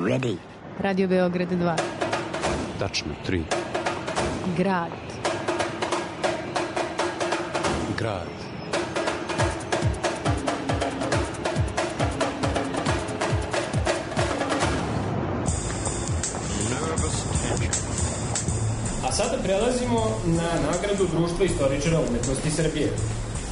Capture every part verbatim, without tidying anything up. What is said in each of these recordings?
ready. Radio Beograd dva. Tačno, tri. Grad. Grad. A sada prelazimo na nagradu Društva istoričara umetnosti Srbije.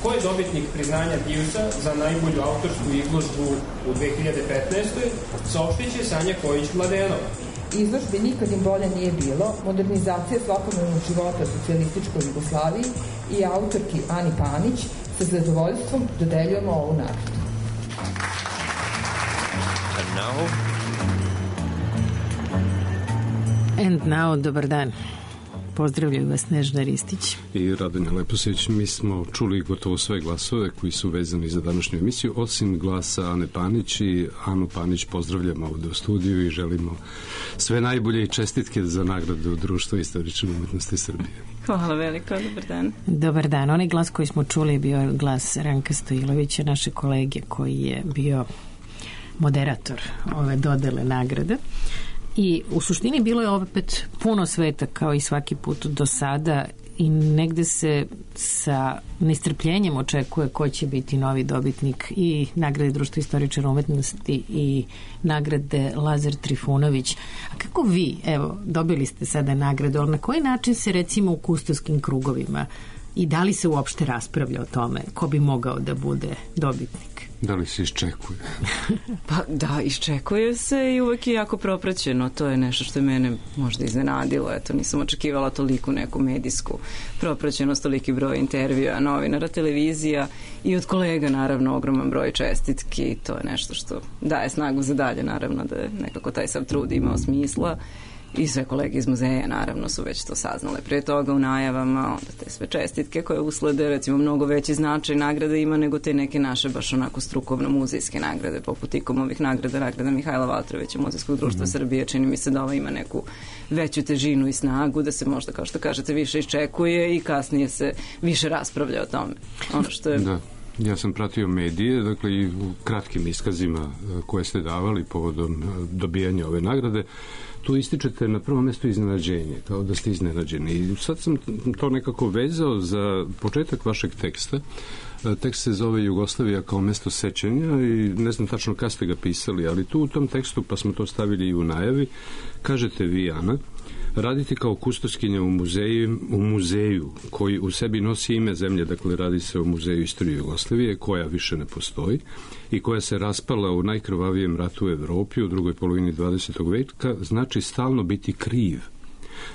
Ko je dobitnik priznanja Diusa za najbolju autorsku izložbu u dve hiljade petnaestoj. saopštit će Sanja Kojić-Mladenova. Izložbi Nikad im bolje nije bilo, modernizacija svakodnevnog života socijalističkoj Jugoslaviji i autorki Ani Panić sa zadovoljstvom dodeljujemo ovu nagradu. And now? And now, dobar dan. Pozdravljaju vas Nežna Ristić i Radonja Leposić. Mi smo čuli gotovo sve glasove koji su vezani za današnju emisiju, osim glasa Ane Panić, i Anu Panić pozdravljamo ovde u studiju i želimo sve najbolje i čestitke za nagradu Društva istorične umetnosti Srbije. Hvala veliko, dobar dan. Dobar dan. Onaj glas koji smo čuli je bio glas Ranka Stojilovića, naše kolege, koji je bio moderator ove dodele nagrade. I u suštini bilo je opet puno sveta kao i svaki put do sada i negde se sa nestrpljenjem očekuje ko će biti novi dobitnik i nagrade Društva istoričara umetnosti i nagrade Lazar Trifunović. A kako vi, evo, dobili ste sada nagradu, ali na koji način se recimo u kustoskim krugovima i da li se uopšte raspravlja o tome ko bi mogao da bude dobitnik? Da li se iščekuje? Pa da, iščekuje se i uvek je jako propraćeno. To je nešto što je mene možda iznenadilo. Eto, nisam očekivala toliku neku medijsku propraćenost, toliki broj intervjua, novinara, televizija i od kolega, naravno, ogroman broj čestitki. To je nešto što daje snagu za dalje, naravno, da je nekako taj sav trud imao smisla. I sve kolege iz muzeja, naravno, su već to saznale prije toga u najavama, onda te sve čestitke koje uslede, recimo, mnogo veći značaj nagrade ima nego te neke naše baš onako strukovno-muzejske nagrade, poput Ikomovih nagrada, nagrada Mihajla Valtrovića, Muzejskog društva mm-hmm. Srbije. Čini mi se da ova ima neku veću težinu i snagu, da se možda, kao što kažete, više iščekuje i kasnije se više raspravlja o tome. Ono što je... Da. Ja sam pratio medije, dakle i u kratkim iskazima koje ste davali povodom dobijanja ove nagrade, tu ističete na prvom mestu iznenađenje, kao da ste iznenađeni. I sad sam to nekako vezao za početak vašeg teksta. Tekst se zove Jugoslavija kao mesto sećanja i ne znam tačno kada ste ga pisali, ali tu u tom tekstu, pa smo to stavili i u najavi, kažete vi, Ana, raditi kao kustoskinja u muzeju, u muzeju koji u sebi nosi ime zemlje, dakle radi se o muzeju istorije Jugoslavije, koja više ne postoji i koja se raspala u najkrvavijem ratu u Evropi u drugoj polovini dvadesetog veka, znači stalno biti kriv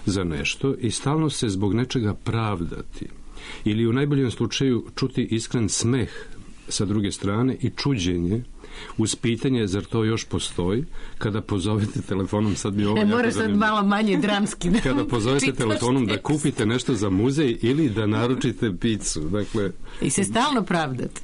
za nešto i stalno se zbog nečega pravdati ili u najboljem slučaju čuti iskren smeh sa druge strane i čuđenje uz pitanje zar to još postoji, kada pozovete telefonom, sad bi ovo... E, moraš sad malo manje dramski da kada pozovete telefonom da kupite nešto za muzej ili da naručite picu, dakle... I se stalno pravdate.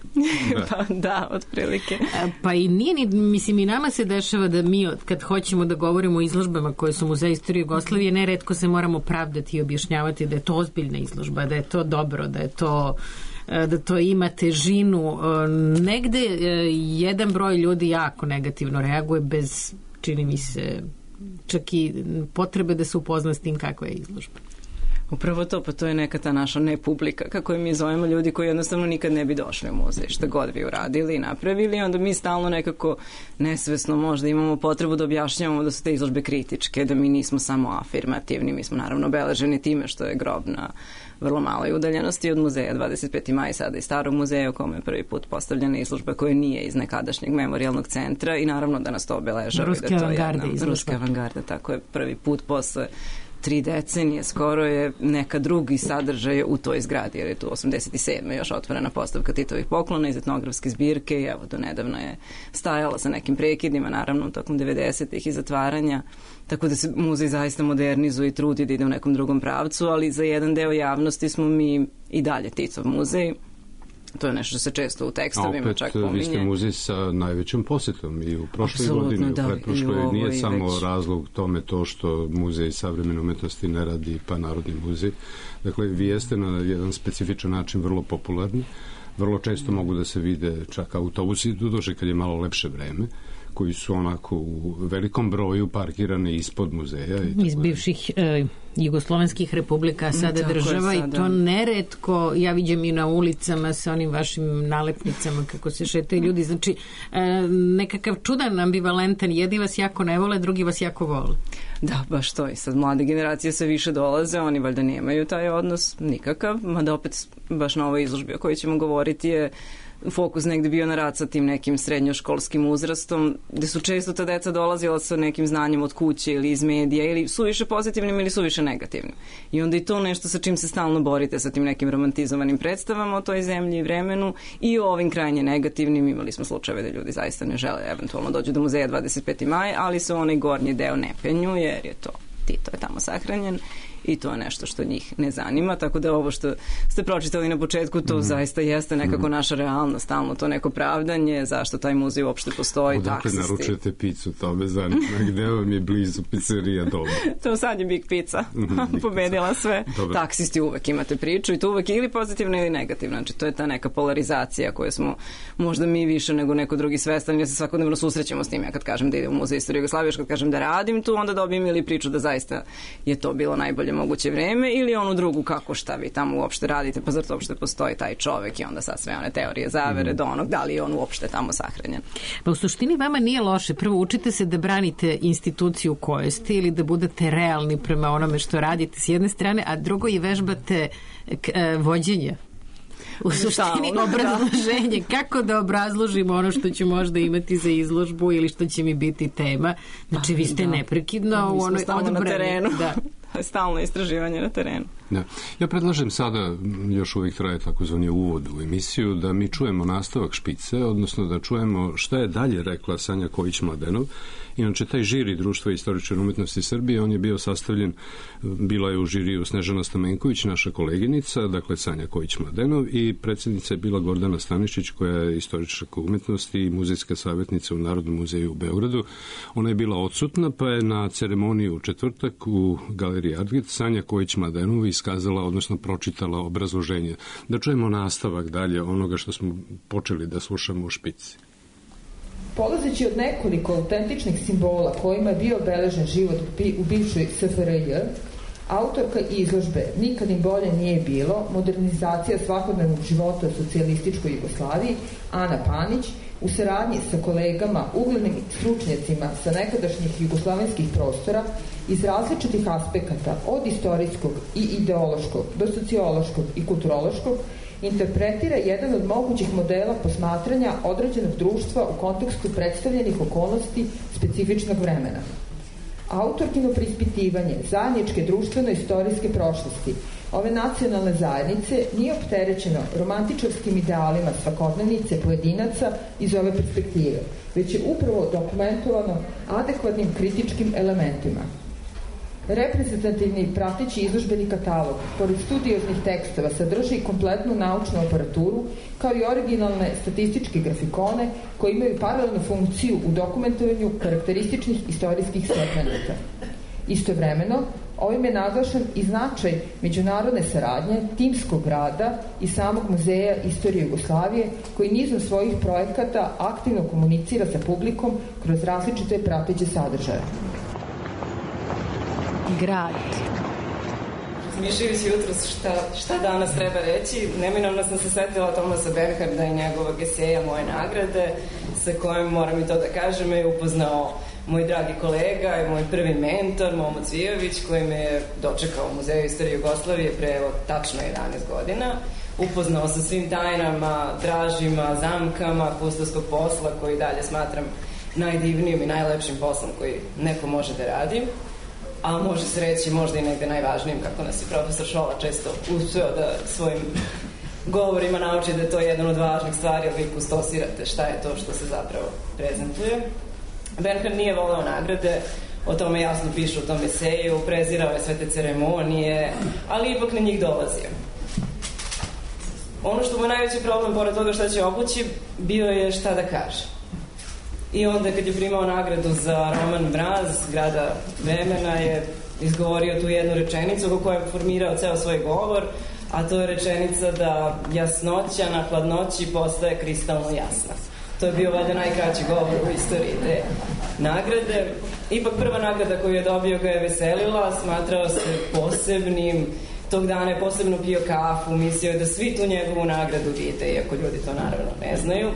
Da. Pa da, otprilike. Pa i nije, ni, mislim, i nama se dešava da mi, kad hoćemo da govorimo o izložbama koje su Muzej istorije Jugoslavije, neretko se moramo pravdati i objašnjavati da je to ozbiljna izložba, da je to dobro, da je to... da to ima težinu. Negde jedan broj ljudi jako negativno reaguje bez, čini mi se, čak i potrebe da se upozna s tim kakva je izložba. Upravo to, pa to je neka ta naša nepublika, kako je mi zovemo, ljudi koji jednostavno nikad ne bi došli u muzej, šta god vi uradili i napravili, onda mi stalno nekako nesvesno možda imamo potrebu da objašnjavamo da su te izložbe kritičke, da mi nismo samo afirmativni, mi smo naravno obeleženi time što je grob na vrlo maloj udaljenosti od muzeja, dvadeset peti maj sada i Starog muzeja u kome je prvi put postavljena izložba koja nije iz nekadašnjeg memorijalnog centra i naravno da nas to obeležava. Ruske da to avangarde jedna, Ruske avangarde, tako je, prvi put posle tri decenije skoro je neka drugi sadržaj u toj zgradi, jer je tu osamdeset sedme još otvorena postavka Titovih poklona iz etnografske zbirke i evo do nedavno je stajala sa nekim prekidima, naravno tokom devedesetih i zatvaranja, tako da se muzej zaista modernizuje i trudi da ide u nekom drugom pravcu, ali za jedan deo javnosti smo mi i dalje Titov muzej. To je nešto što se često u tekstovima čak pominje. A opet vi ste muzej sa najvećom posetom i u prošloj Absolutno, godini, da, u pretprošloj, nije samo već razlog tome to što Muzej savremene umetnosti ne radi pa Narodni muzej. Dakle, vi jeste na jedan specifičan način vrlo popularni, vrlo često mogu da se vide čak autobusi, doduše kad je malo lepše vreme, koji su onako u velikom broju parkirane ispod muzeja. Iz bivših e, jugoslovenskih republika, sada tako država je, sada. I to neretko ja viđem i na ulicama sa onim vašim nalepnicama kako se šetaju ljudi, znači e, nekakav čudan ambivalentan, jedni vas jako ne vole, drugi vas jako vole. Da, baš to i sad mlade generacije sve više dolaze, oni valjda nemaju taj odnos nikakav, mada opet baš na ovoj izložbi o kojoj ćemo govoriti je fokus negde bio na rad sa tim nekim srednjoškolskim uzrastom, gde su često ta deca dolazila sa nekim znanjem od kuće ili iz medija, ili suviše pozitivnim ili suviše negativnim. I onda i to nešto sa čim se stalno borite, sa tim nekim romantizovanim predstavama o toj zemlji i vremenu i o ovim krajnje negativnim. Imali smo slučajeve da ljudi zaista ne žele eventualno dođu do muzeja dvadeset peti maj, ali se onaj gornji deo ne penju, jer je to Tito je tamo sahranjen i to je nešto što njih ne zanima, tako da ovo što ste pročitali na početku, to mm. zaista jeste nekako naša realnost, stalno to neko pravdanje, zašto taj muzej uopšte postoji, odakle taksisti. Naručujete picu, to me zanima, gde vam je blizu pizzerija dobro. To sad je Big Pizza, pobedila sve. Dobre. Taksisti uvek imate priču i to uvek ili pozitivno ili negativno, znači to je ta neka polarizacija koju smo možda mi više nego neko drugi svestan, jer se svakodnevno susrećemo s tim, ja kad kažem da idem u muzej istorije Jugoslavije, kad kažem da radim tu, onda dobijem ili priču da zaista je to bilo najbolje moguće vreme ili onu drugu kako šta vi tamo uopšte radite, pa zar to uopšte postoji taj čovek i onda sad sve one teorije zavere mm. do onog da li je on uopšte tamo sahranjen. Pa u suštini vama nije loše. Prvo učite se da branite instituciju u kojoj ste ili da budete realni prema onome što radite s jedne strane, a drugo i vežbate k, e, vođenje. U suštini obrazloženje. Kako da obrazložimo ono što ću možda imati za izložbu ili što će mi biti tema. Znači vi ste da. neprekidno u onoj odbrani. Na terenu. Da. Stalno istraživanje na terenu. Da. Ja predlažem sada, još uvijek traje takozvani uvod u emisiju, da mi čujemo nastavak špice, odnosno da čujemo šta je dalje rekla Sanja Kojić-Mladenov. Inače, taj žiri Društva istoričara umetnosti Srbije, on je bio sastavljen, bila je u žiriju Snežana Stamenković, naša koleginica, dakle Sanja Kojić-Mladenov, i predsjednica je bila Gordana Stanišić, koja je istoričarka umetnosti i muzejska savjetnica u Narodnom muzeju u Beogradu. Ona je bila odsutna, pa je na ceremoniji u četvrtak u Galeriji Artget Sanja Kojić-Mladenov iskazala, odnosno pročitala obrazloženje. Da čujemo nastavak dalje onoga što smo počeli da slušamo u špici. Polazeći od nekoliko autentičnih simbola kojima je bio obeležen život u bivšoj S F R J, autorka izložbe Nikad im bolje nije bilo, modernizacija svakodnevnog života u socijalističkoj Jugoslaviji, Ana Panić, u saradnji sa kolegama, uglednim stručnjacima sa nekadašnjih jugoslavenskih prostora, iz različitih aspekata, od istorijskog i ideološkog do sociološkog i kulturološkog, interpretira jedan od mogućih modela posmatranja određenog društva u kontekstu predstavljenih okolnosti specifičnog vremena. Autorkino preispitivanje zajedničke društveno-istorijske prošlosti ove nacionalne zajednice nije opterećeno romantičarskim idealima svakodnevnice pojedinaca iz ove perspektive, već je upravo dokumentovano adekvatnim kritičkim elementima. Reprezentativni prateći izložbeni katalog, pored studioznih tekstova, sadrži kompletnu naučnu aparaturu, kao i originalne statističke grafikone koji imaju paralelnu funkciju u dokumentovanju karakterističnih istorijskih segmenata. Istovremeno, ovim je naglašen i značaj međunarodne saradnje, timskog rada i samog Muzeja istorije Jugoslavije, koji nizom svojih projekata aktivno komunicira sa publikom kroz različite prateće sadržaje. Grad. Mišljujući jutros šta, šta danas treba reći, neminovno sam se setila Tomasa Bernharda i njegovog eseja Moje nagrade, sa kojim, moram i to da kažem, je upoznao moj dragi kolega i moj prvi mentor, Momo Cvijović, koji me je dočekao u Muzeju istorije Jugoslavije pre evo, tačno jedanaest godina. Upoznao sa svim tajnama, dražima, zamkama pustovskog posla, koji dalje smatram najdivnijim i najlepšim poslom koji neko može da radi. A može se reći možda i negde najvažnijim, kako nas je profesor Šola često uspeo da svojim govorima nauči da je to jedan od važnih stvari, ali vi pustosirate šta je to što se zapravo prezentuje. Bernhard nije voleo nagrade, o tome jasno piše u tom eseju, prezirao je sve te ceremonije, ali ipak na njih dolazio. Ono što mu je najveći problem, pored toga šta će obući, bio je šta da kaže. I onda kad je primao nagradu za roman Mraz, Grada vremena, je izgovorio tu jednu rečenicu kako je formirao ceo svoj govor, a to je rečenica da jasnoća na hladnoći postaje kristalno jasna. To je bio valjda najkraći govor u istoriji te nagrade. Ipak prva nagrada koju je dobio ga je veselila, smatrao se posebnim, tog dana je posebno pio kafu, mislio je da svi tu njegovu nagradu vide, iako ljudi to naravno ne znaju.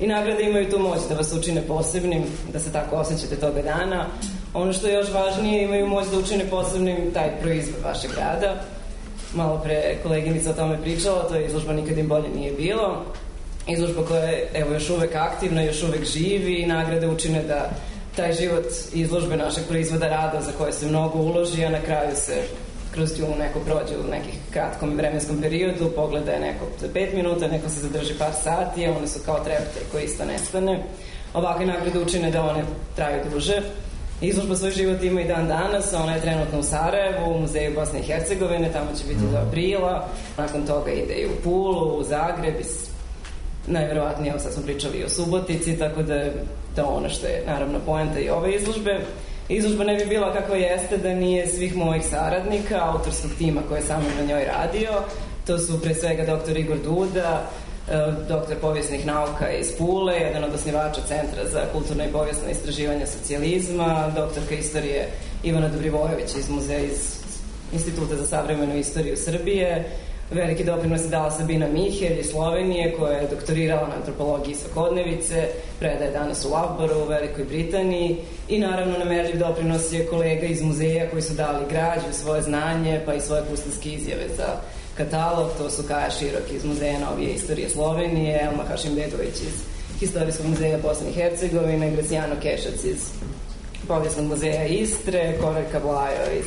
I nagrade imaju tu moć da vas učine posebnim, da se tako osjećate toga dana. Ono što je još važnije, imaju moć da učine posebnim taj proizvod vašeg rada. Malo pre koleginica o tome pričala, to je izložba Nikad im bolje nije bilo. Izložba koja je evo, još uvek aktivna, još uvek živi i nagrade učine da taj život izložbe našeg proizvoda rada za koje se mnogo uloži, a na kraju se kroz nju neko prođe u nekih kratkom vremenskom periodu, pogleda je neko za pet minuta, neko se zadrži par sati, a one su kao trepte koji isto nestane. Ovakve nagrade učine da one traju duže. Izložba svoj život ima i dan danas, ona je trenutno u Sarajevu, u Muzeju Bosne i Hercegovine, tamo će biti do aprila, nakon toga ide i u Pulu, u Zagreb, najverovatnije, evo sad smo pričali i o Subotici, tako da je to ono što je naravno poenta i ove izložbe. Izložba ne bi bila kakva jeste da nije svih mojih saradnika, autorskog tima koji je sa mnom na njoj radio. To su pre svega doktor Igor Duda, doktor povijesnih nauka iz Pule, jedan od osnivača Centra za kulturno i povijesno istraživanje socijalizma, doktorka istorije Ivana Dobrivojević iz Muzeja iz Instituta za savremenu istoriju Srbije. Veliki doprinos je dala Sabina Mihelj iz Slovenije, koja je doktorirala na antropologiji svakodnevice, predaje danas u Lavboru u Velikoj Britaniji i naravno nemerljiv doprinos je kolega iz muzeja koji su dali građu, svoje znanje pa i svoje kustanske izjave za katalog. To su Kaja Širok iz Muzeja novije istorije Slovenije, Elma Hašimbegović iz Historijskog muzeja Bosne i Hercegovine, Graciano Kešac iz Povijesnog muzeja Istre, Korajka Blajo iz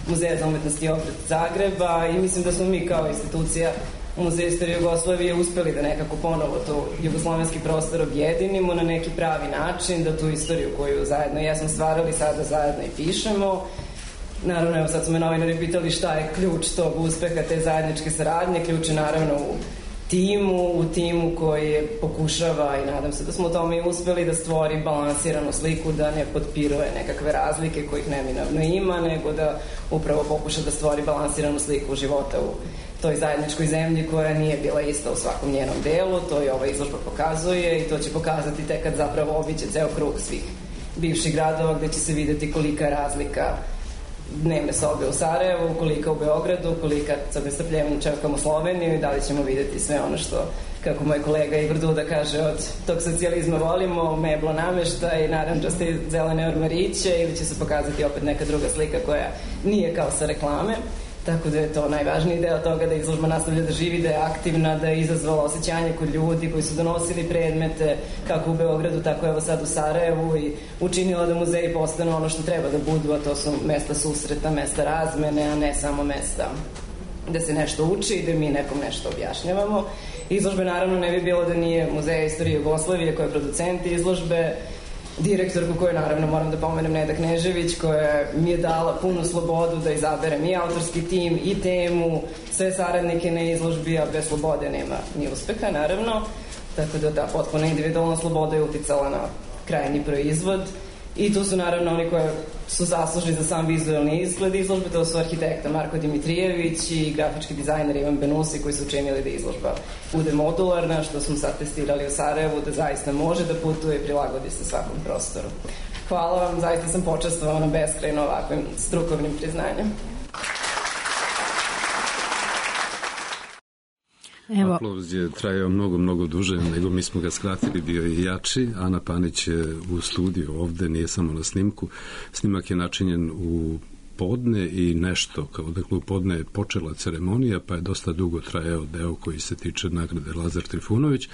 Muzeja za umetnost i obrt Zagreba i mislim da smo mi kao institucija Muzeja istorije Jugoslavije uspeli da nekako ponovo to jugoslovenski prostor objedinimo na neki pravi način, da tu istoriju koju zajedno jesmo stvarali sada zajedno i pišemo. Naravno, evo sad su me novinari pitali šta je ključ tog uspeha te zajedničke saradnje. Ključ je naravno u timu, u timu koji pokušava i nadam se da smo u tome i uspeli da stvori balansiranu sliku, da ne potpiruje nekakve razlike kojih neminovno ima, nego da upravo pokuša da stvori balansiranu sliku života u toj zajedničkoj zemlji koja nije bila ista u svakom njenom delu. To i ova izložba pokazuje i to će pokazati tek kad zapravo obiće ceo krug svih bivših gradova gde će se videti kolika je razlika dnevne sobe u Sarajevu, kolika u Beogradu, kolika sa nestrpljenjem čekamo Sloveniju i da li ćemo videti sve ono što, kako moj kolega Igor Duda kaže, od tog socijalizma volimo, meblo namešta i naranđaste zelene ormariće, ili će se pokazati opet neka druga slika koja nije kao sa reklame. Tako da je to najvažniji deo toga, da izložba nastavlja da živi, da je aktivna, da je izazvala osjećanje kod ljudi koji su donosili predmete kako u Beogradu, tako evo sad u Sarajevu i učinila da muzeji postanu ono što treba da budu, a to su mesta susreta, mesta razmene, a ne samo mesta da se nešto uči i da mi nekom nešto objašnjavamo. Izložbe naravno ne bi bilo da nije Muzeja istorije Jugoslavije koji je producent izložbe, direktorku koju naravno moram da pomenem Neda Knežević, koja mi je dala punu slobodu da izaberem i autorski tim i temu, sve saradnike na izložbi, a bez slobode nema ni uspeha naravno, tako da ta potpuno individualna sloboda je uticala na krajnji proizvod. I tu su naravno oni koji su zaslužni za sam vizualni izgled izložbe, to su arhitekta Marko Dimitrijević i grafički dizajner Ivan Benusi, koji su učinili da izložba bude modularna, što smo sad testirali u Sarajevu, da zaista može da putuje i prilagodi se svakom prostoru. Hvala vam, zaista sam počastvovana beskrajno ovakvim strukovnim priznanjem. Evo. Aplauz je trajao mnogo, mnogo duže, nego mi smo ga skratili, bio je jači. Ana Panić je u studiju ovde, nije samo na snimku. Snimak je načinjen u podne i nešto, kao dakle u podne je počela ceremonija, pa je dosta dugo trajao deo koji se tiče nagrade Lazar Trifunović,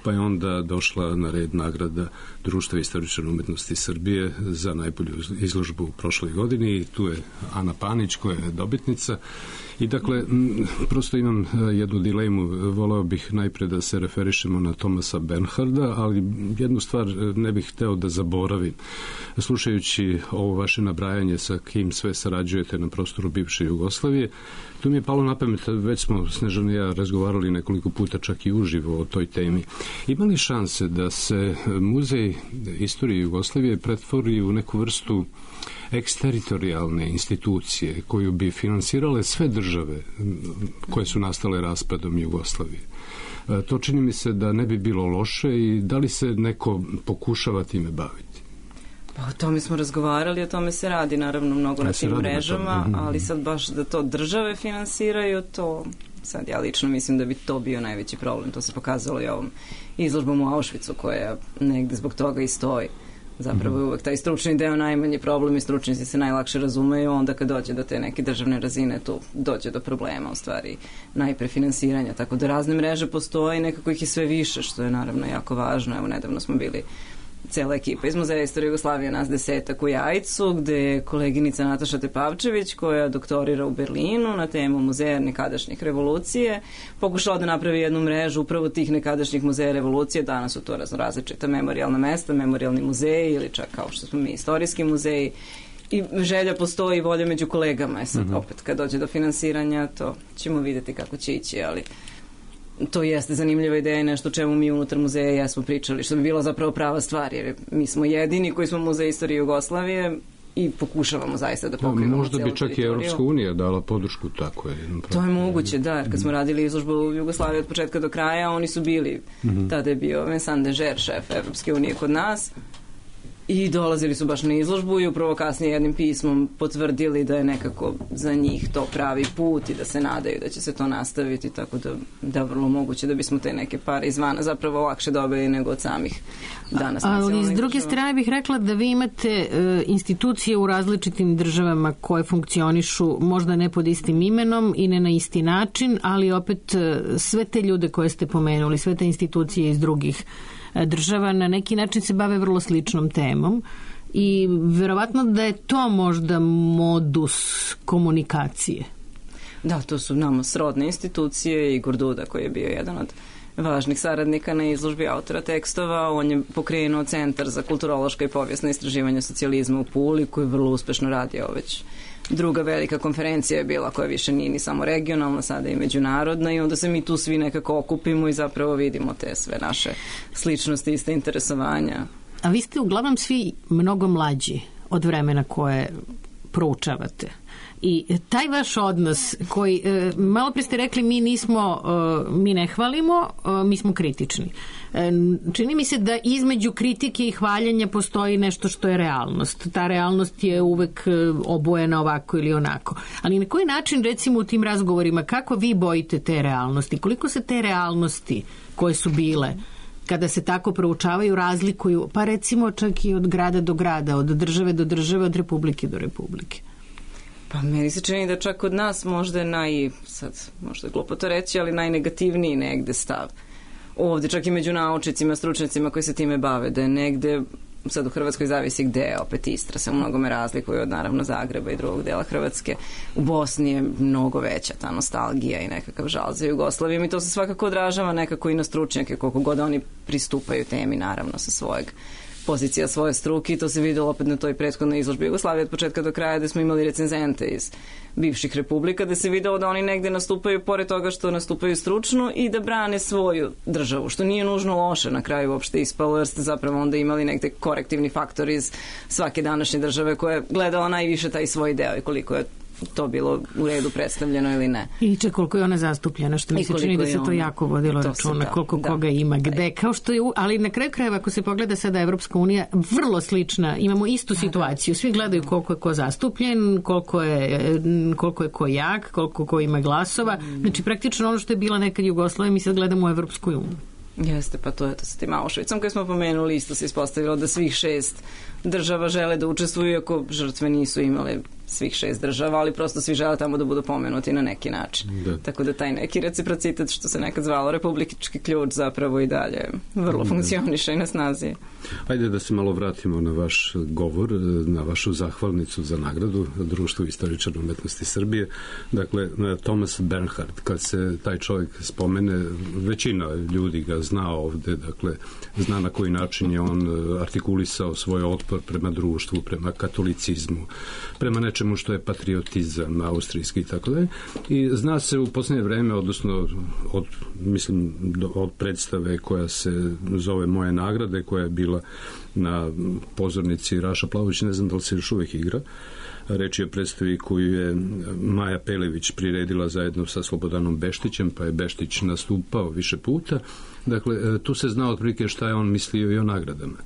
pa je onda došla na red nagrada Društva istoričara umetnosti Srbije za najbolju izložbu u prošloj godini i tu je Ana Panić koja je dobitnica. I dakle, m, prosto imam jednu dilemu, voleo bih najpre da se referišemo na Thomasa Bernharda, ali jednu stvar ne bih hteo da zaboravim. Slušajući ovo vaše nabrajanje sa kim sve sarađujete na prostoru bivše Jugoslavije, tu mi je palo na pamet, već smo Snežana i ja razgovarali nekoliko puta čak i uživo o toj temi. Ima li šanse da se Muzej istorije Jugoslavije pretvori u neku vrstu eksteritorijalne institucije koju bi finansirale sve države koje su nastale raspadom Jugoslavije? To čini mi se da ne bi bilo loše i da li se neko pokušava time baviti? Pa o tome smo razgovarali, o tome se radi naravno mnogo na tim mrežama, ali sad baš da to države finansiraju, to sad ja lično mislim da bi to bio najveći problem. To se pokazalo i ovom izložbom u Auschwitzu koja negde zbog toga i stoji. Zapravo je uvek taj stručni deo najmanji problem i stručnici se najlakše razumeju, onda kad dođe do te neke državne razine tu dođe do problema, u stvari najpre finansiranja, tako da razne mreže postoje i nekako ih je sve više, što je naravno jako važno. Evo, nedavno smo bili cela ekipa iz Muzeja istorije Jugoslavije, nas desetak u Jajcu, gde je koleginica Nataša Tepavčević, koja doktorira u Berlinu na temu muzeja nekadašnjih revolucije, pokušala da napravi jednu mrežu upravo tih nekadašnjih muzeja revolucije. Danas su to različita memorijalna mesta, memorijalni muzeji ili čak kao što smo mi istorijski muzeji. I želja postoji i volja među kolegama. E sad, opet, kad dođe do finansiranja, to ćemo videti kako će ići, ali to jeste zanimljiva ideja i nešto čemu mi unutar muzeja jesmo pričali, što bi bila zapravo prava stvar, jer mi smo jedini koji smo Muzej istorije Jugoslavije i pokušavamo zaista da pokrijemo možda celu bi čak teritoriju. i Evropska unija dala podršku tako je. To je moguće, da, jer kad smo radili izložbu u Jugoslaviji od početka do kraja, oni su bili, mm-hmm. tada je bio Vincent Deger, šef Evropske unije kod nas, i dolazili su baš na izložbu i upravo kasnije jednim pismom potvrdili da je nekako za njih to pravi put i da se nadaju da će se to nastaviti, tako da da vrlo moguće da bismo te neke pare izvana zapravo lakše dobili nego od samih danas. Ali s druge strane bih rekla da vi imate e, institucije u različitim državama koje funkcionišu možda ne pod istim imenom i ne na isti način, ali opet e, sve te ljude koje ste pomenuli, sve te institucije iz drugih država na neki način se bave vrlo sličnom temom i verovatno da je to možda modus komunikacije. Da, to su nama srodne institucije. Igor Duda, koji je bio jedan od važnih saradnika na izložbi autora tekstova, on je pokrenuo Centar za kulturološka i povijesna istraživanja socijalizma u Puli, koji vrlo uspešno radio već. Druga velika konferencija je bila koja više nije ni samo regionalna, sada i međunarodna, i onda se mi tu svi nekako okupimo i zapravo vidimo te sve naše sličnosti, iste interesovanja. A vi ste uglavnom svi mnogo mlađi od vremena koje proučavate. I taj vaš odnos koji, malo pre ste rekli, mi nismo, mi ne hvalimo, mi smo kritični. Čini mi se da između kritike i hvaljenja postoji nešto što je realnost. Ta realnost je uvek obojena ovako ili onako. Ali na koji način, recimo u tim razgovorima, kako vi bojite te realnosti? Koliko se te realnosti koje su bile kada se tako proučavaju razlikuju, pa recimo čak i od grada do grada, od države do države, od republike do republike? Pa meni se čini da čak od nas možda je naj, sad možda je glupo to reći, ali najnegativniji negde stav. Ovde čak i među naučnicima, stručnicima koji se time bave, da je negde, sad u Hrvatskoj zavisi gde, opet Istra se u mnogome razlikuje od naravno Zagreba i drugog dela Hrvatske. U Bosni je mnogo veća ta nostalgija i nekakav žal za Jugoslavijom i to se svakako odražava nekako i na stručnjake, koliko god oni pristupaju temi naravno sa svojeg pozicija svoje struke, i to se videlo opet na toj prethodnoj izložbi Jugoslavije od početka do kraja, da smo imali recenzente iz bivših republika, da se videlo da oni negde nastupaju pored toga što nastupaju stručno i da brane svoju državu, što nije nužno loše na kraju uopšte ispalo, jer ste zapravo onda imali negde korektivni faktor iz svake današnje države koja je gledala najviše taj svoj deo i koliko je to bilo u redu predstavljeno ili ne. I če koliko je ona zastupljena, što mi se čini da se to jako vodilo računa, koliko da, koga ima, gde, kao što je, ali na kraju krajeva ako se pogleda sada Evropska unija, vrlo slična, imamo istu situaciju, svi gledaju koliko je ko zastupljen, koliko je, koliko je ko jak, koliko ko ima glasova, znači praktično ono što je bila nekad Jugoslavija, mi sad gledamo u Evropskoj uniji. Jeste, pa to je to sa tim Auschwitzom koji smo pomenuli, isto se ispostavilo da svih šest država žele da učestvuju, iako žrtve nisu imale svih šest država, ali prosto svi žele tamo da budu pomenuti na neki način. Da. Tako da taj neki reciprocitet, što se nekad zvalo republički ključ, zapravo i dalje vrlo funkcioniše i na snazi. Ajde da se malo vratimo na vaš govor, na vašu zahvalnicu za nagradu Društvu istoričara umetnosti Srbije. Dakle, Thomas Bernhard, kad se taj čovjek spomene, većina ljudi ga zna ovde, dakle, zna na koji način je on artikulisao svoj otpor prema društvu, prema katolicizmu, prema nečemu što je patriotizam austrijski i tako dalje. I zna se u posljednje vreme, odnosno od, mislim, od predstave koja se zove Moje nagrade, koja je bila na pozornici Raša Plavović, ne znam da li se još uvijek igra, Reč je o predstavi koju je Maja Pelević priredila zajedno sa Slobodanom Beštićem, pa je Beštić nastupao više puta. Dakle, tu se zna otprilike šta je on mislio i o nagradama.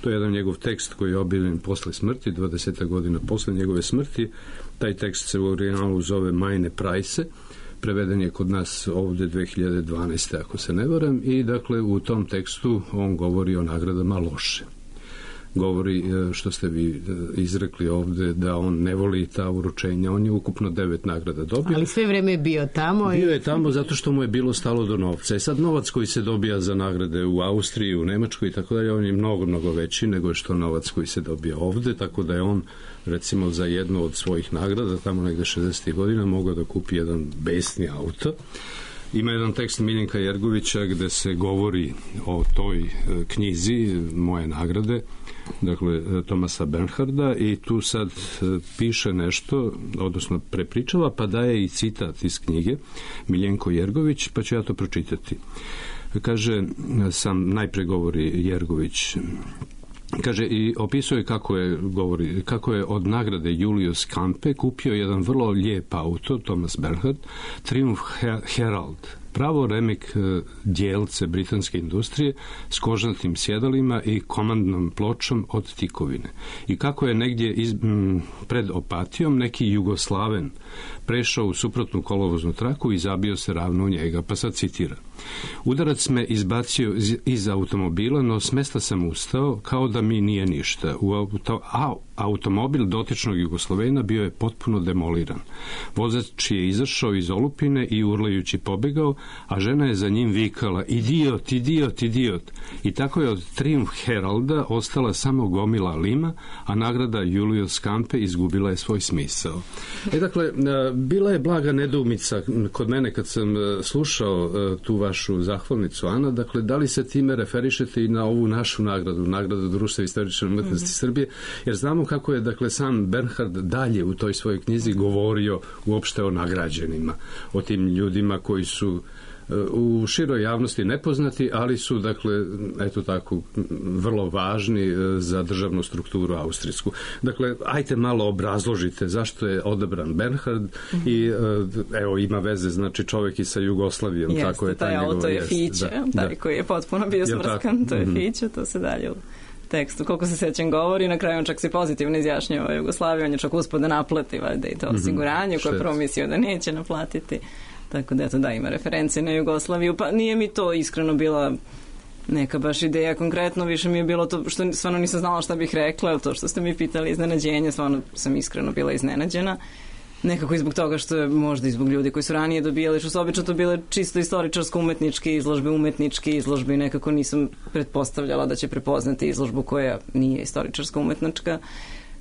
To je jedan njegov tekst koji je objavljen posle smrti, dvadeset godina posle njegove smrti. Taj tekst se u originalu zove Meine Preise, preveden je kod nas ovde dve hiljade dvanaeste. ako se ne varam, i dakle u tom tekstu on govori o nagradama loše. Govori, što ste vi izrekli ovde, da on ne voli ta uručenja. On je ukupno devet nagrada dobio. Ali sve vreme je bio tamo. Bio je tamo zato što mu je bilo stalo do novca. I sad novac koji se dobija za nagrade u Austriji, u Nemačkoj i tako dalje, on je mnogo, mnogo veći nego što novac koji se dobija ovde, tako da je on recimo za jednu od svojih nagrada, tamo negde šezdesetih godina, mogao da kupi jedan besni auto. Ima jedan tekst Miljenka Jergovića gde se govori o toj knjizi Moje nagrade, dakle Thomasa Bernharda, i tu sad piše nešto, odnosno prepričava, pa daje i citat iz knjige Miljenko Jergović, pa ću ja to pročitati. Kaže, sam najpre govori Jergović, kaže, i opisuje kako je, govori, kako je od nagrade Julius Campe kupio jedan vrlo lijep auto, Thomas Bernhard, Triumph Herald, pravo remek djelce britanske industrije s kožnatim sjedalima i komandnom pločom od tikovine. I kako je negdje iz, m, pred Opatijom neki Jugoslaven prešao u suprotnu kolovoznu traku i zabio se ravno u njega, pa sad citira. Udarac me izbacio iz, iz automobila, no s mesta sam ustao kao da mi nije ništa. U auto, a, automobil dotičnog Jugoslovena bio je potpuno demoliran. Vozač je izašao iz olupine i urlajući pobegao, a žena je za njim vikala idiot, idiot, idiot. I tako je od Triumph Heralda ostala samo gomila lima, a nagrada Julius Campe izgubila je svoj smisao. E dakle, bila je blaga nedoumica kod mene kad sam slušao tu vašu zahvalnicu, Ana, dakle, da li se time referišete i na ovu našu nagradu, nagradu Društva istorične umetnosti mm-hmm. Srbije, jer znamo kako je, dakle, sam Bernhard dalje u toj svojoj knjizi govorio uopšte o nagrađenima, o tim ljudima koji su u široj javnosti nepoznati, ali su, dakle, eto tako, vrlo važni za državnu strukturu austrijsku. Dakle, ajte malo obrazložite zašto je odabran Bernhard mm-hmm. i evo, ima veze, znači, čovjek i sa Jugoslavijom. Jeste, tako je taj auto je Fiće, da, taj da. koji je potpuno bio smrskan, to je mm-hmm. Fiće, to se dalje u tekstu, koliko se sećam govori, na kraju on čak se pozitivno izjašnjava Jugoslaviju, on je čak uspio da naplati valjda i to osiguranje mm-hmm. koje je promislio da neće naplatiti. Tako da, eto, da, ima referencije na Jugoslaviju, pa nije mi to iskreno bila neka baš ideja konkretno, više mi je bilo to što stvarno nisam znala šta bih rekla, to što ste mi pitali iznenađenje, stvarno sam iskreno bila iznenađena. Nekako i zbog toga što je možda i zbog ljudi koji su ranije dobijali, što su obično to bile čisto istoričarsko-umetničke izložbe, umetničke izložbe i nekako nisam pretpostavljala da će prepoznati izložbu koja nije istoričarsko-umetnička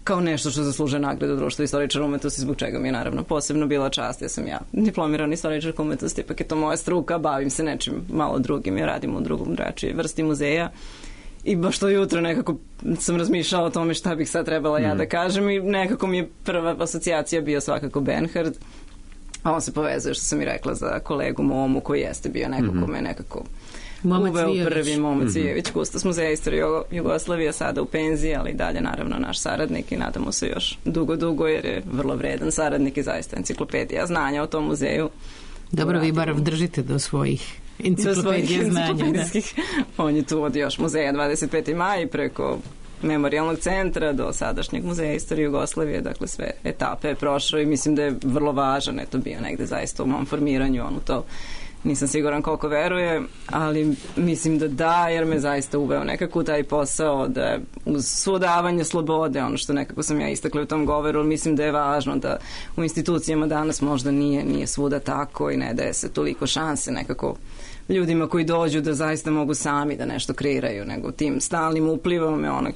kao nešto što zaslužuje nagradu Društva istoričara umetnosti, zbog čega mi je naravno posebno bila čast. Ja sam ja diplomirana istoričarka umetnosti, ipak je to moja struka, bavim se nečim malo drugim, ja radim u drugom drugačije vrsti muzeja i baš to jutro nekako sam razmišljala o tome šta bih sad trebala ja da kažem i nekako mi je prva asocijacija bio svakako Bernhard, a on se povezuje, što sam i rekla, za kolegu Momu koji jeste bio neko mm-hmm. kome nekako Momac uveo Vijević. Prvi Momac Vijević, mm-hmm. kustos muzeja istorije Jugoslavije, sada u penziji, ali dalje naravno naš saradnik i nadamo se još dugo, dugo, jer je vrlo vredan saradnik i zaista enciklopedija znanja o tom muzeju. Dobro, vi bar držite do svojih enciklopedije znanja. Da. On je tu od još muzeja dvadeset peti maj preko memorijalnog centra do sadašnjeg muzeja istorije Jugoslavije, dakle sve etape je prošao i mislim da je vrlo važan, eto bio negde zaista u mom formiranju, on u to nisam siguran koliko veruje, ali mislim da da, jer me zaista uveo nekako taj posao da uz svo davanje slobode, ono što nekako sam ja istakla u tom govoru, mislim da je važno da u institucijama danas možda nije, nije svuda tako i ne daje se toliko šanse nekako ljudima koji dođu da zaista mogu sami da nešto kreiraju, nego tim stalnim uplivom je ono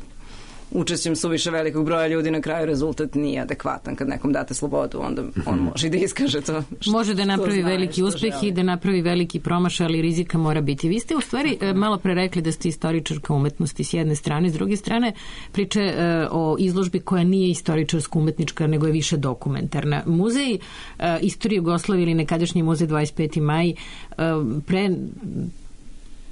učešćem suviše velikog broja ljudi, na kraju rezultat nije adekvatan. Kad nekom date slobodu, onda on može i da iskaže to što, može da napravi veliki uspeh i da napravi veliki promašaj, ali rizika mora biti. Vi ste u stvari malo pre rekli da ste istoričarka umetnosti s jedne strane, s druge strane priče uh, o izložbi koja nije istoričarsko-umetnička, nego je više dokumentarna. Muzej uh, istorije Jugoslavije ili nekadašnji muzej dvadeset peti maj uh, pre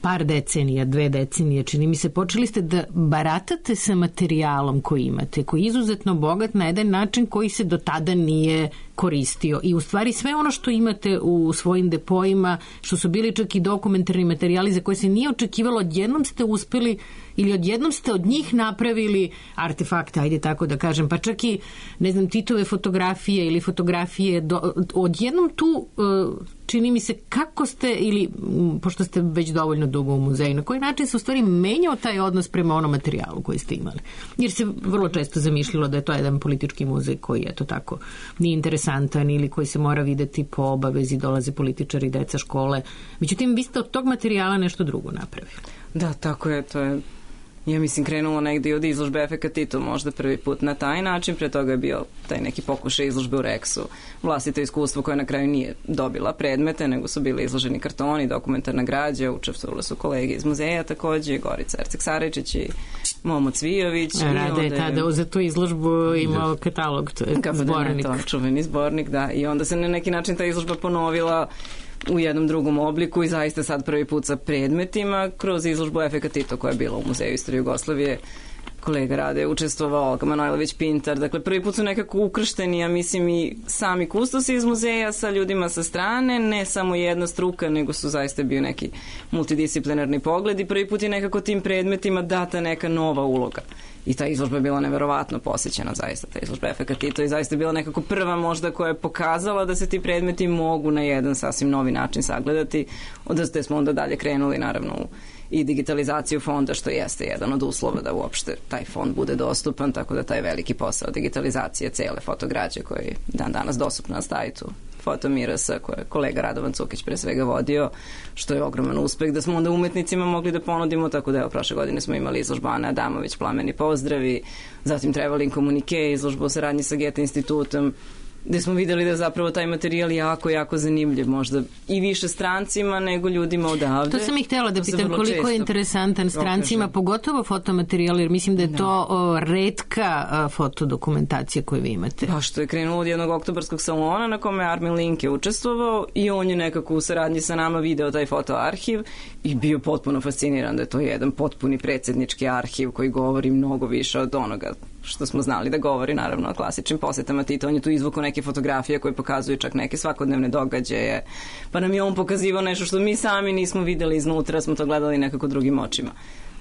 par decenija, dve decenije, čini mi se, počeli ste da baratate sa materijalom koji imate, koji je izuzetno bogat na jedan način koji se do tada nije koristio. I u stvari sve ono što imate u svojim depojima, što su bili čak i dokumentarni materijali za koje se nije očekivalo, odjednom ste uspeli ili odjednom ste od njih napravili artefakte, ajde tako da kažem, pa čak i, ne znam, Titove fotografije ili fotografije, do, odjednom tu čini mi se kako ste, ili pošto ste već dovoljno dugo u muzeju, na koji način se u stvari menjao taj odnos prema onom materijalu koji ste imali. Jer se vrlo često zamišljalo da je to jedan politički muzej koji je to tako nije interesantan ili koji se mora videti po obavezi, dolaze političari, deca, škole. Međutim, vi ste od tog materijala nešto drugo napravili. Da, tako je, to je, ja mislim, krenulo negdje od izložbe Efekat Tito možda prvi put na taj način, pre toga je bio taj neki pokušaj izložbe u Reksu, vlastito iskustvo koje na kraju nije dobila predmete, nego su bili izloženi kartoni, dokumentarna građa, učestvovali su kolege iz muzeja takođe, Gorica Erceg-Sarajičić i Momo Cvijović. Rade je tada za tu izložbu imao katalog, to je zbornik. To, čuveni zbornik, da, i onda se na neki način ta izložba ponovila u jednom drugom obliku i zaista sad prvi put sa predmetima kroz izložbu Efekat Tito koja je bila u Muzeju istorije Jugoslavije. Kolega Rade je učestvovao, Olga Manojlović Pintar, dakle prvi put su nekako ukršteni, ja mislim, i sami kustosi iz muzeja sa ljudima sa strane, ne samo jedna struka, nego su zaista bio neki multidisciplinarni pogled i prvi put je nekako tim predmetima data neka nova uloga. I ta izložba je bila neverovatno posećena, zaista, ta izložba Efekat Tito i zaista je bila nekako prva možda koja je pokazala da se ti predmeti mogu na jedan sasvim novi način sagledati, od te smo onda dalje krenuli naravno u i digitalizaciju fonda, što jeste jedan od uslova da uopšte taj fond bude dostupan, tako da taj veliki posao digitalizacije cele fotograđe koji je dan danas dostupna na sajtu Fotomirasa, koje je kolega Radovan Cukić pre svega vodio, što je ogroman uspeh da smo onda umetnicima mogli da ponudimo, tako da evo prošle godine smo imali izložbu Ane Adamović, Plameni pozdravi, zatim Traveling Komunike, izložbu o saradnji sa Goethe institutom, gde smo videli da je zapravo taj materijal jako, jako zanimljiv, možda i više strancima nego ljudima odavde. To sam i htjela da pitam koliko je interesantan strancima, okaže. Pogotovo fotomaterijal, jer mislim da je da. to o, retka fotodokumentacija koju vi imate. Pa što je krenulo od jednog oktobarskog salona na kome Armin Link je učestvovao i on je nekako u saradnji sa nama video taj fotoarhiv i bio potpuno fasciniran da je to jedan potpuni predsjednički arhiv koji govori mnogo više od onoga što smo znali da govori, naravno, o klasičnim posetama Tita. On je tu izvukao neke fotografije koje pokazuju čak neke svakodnevne događaje, pa nam je on pokazivao nešto što mi sami nismo videli iznutra, smo to gledali nekako drugim očima.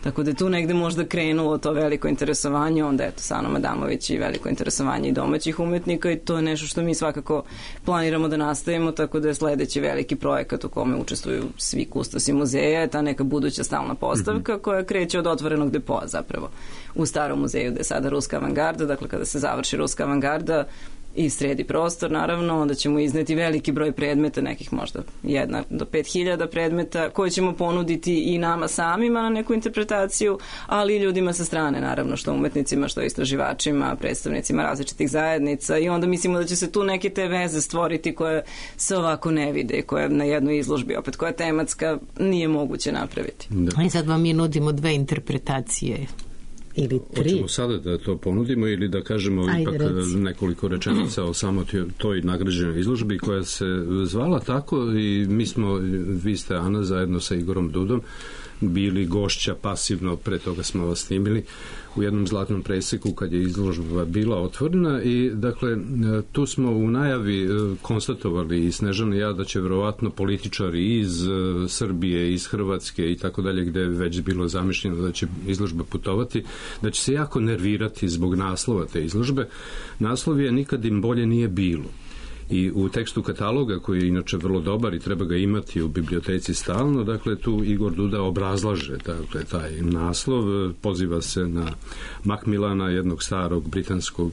Tako da je tu negde možda krenulo to veliko interesovanje, onda eto sa Anom Adamović i veliko interesovanje i domaćih umetnika i to je nešto što mi svakako planiramo da nastavimo, tako da je sledeći veliki projekat u kome učestvuju svi kustosi muzeja, je ta neka buduća stalna postavka mm-hmm. koja kreće od otvorenog depoa zapravo u starom muzeju gde je sada Ruska avangarda, dakle kada se završi Ruska avangarda i sredi prostor, naravno, onda ćemo izneti veliki broj predmeta, nekih možda jedna do pet hiljada predmeta, koje ćemo ponuditi i nama samima na neku interpretaciju, ali i ljudima sa strane, naravno, što umetnicima, što istraživačima, predstavnicima različitih zajednica i onda mislimo da će se tu neke te veze stvoriti koje se ovako ne vide, koje na jednoj izložbi, opet koja je tematska, nije moguće napraviti. Da. I sad vam mi nudimo dve interpretacije. Ili tri. Hoćemo sada da to ponudimo ili da kažemo Ajde, ipak reci. nekoliko rečenica o samo toj nagrađenoj izložbi koja se zvala tako i mi smo, vi ste Ana zajedno sa Igorom Dudom bili gošća pasivno, pre toga smo vas snimili u jednom zlatnom preseku kad je izložba bila otvorena i dakle tu smo u najavi konstatovali i Snežana i ja da će verovatno političari iz Srbije, iz Hrvatske i tako dalje gde je već bilo zamišljeno da će izložba putovati, da će se jako nervirati zbog naslova te izložbe. Naslov je Nikad im bolje nije bilo. I u tekstu kataloga, koji je inače vrlo dobar i treba ga imati u biblioteci stalno, dakle tu Igor Duda obrazlaže dakle, taj naslov, poziva se na Macmillana, jednog starog britanskog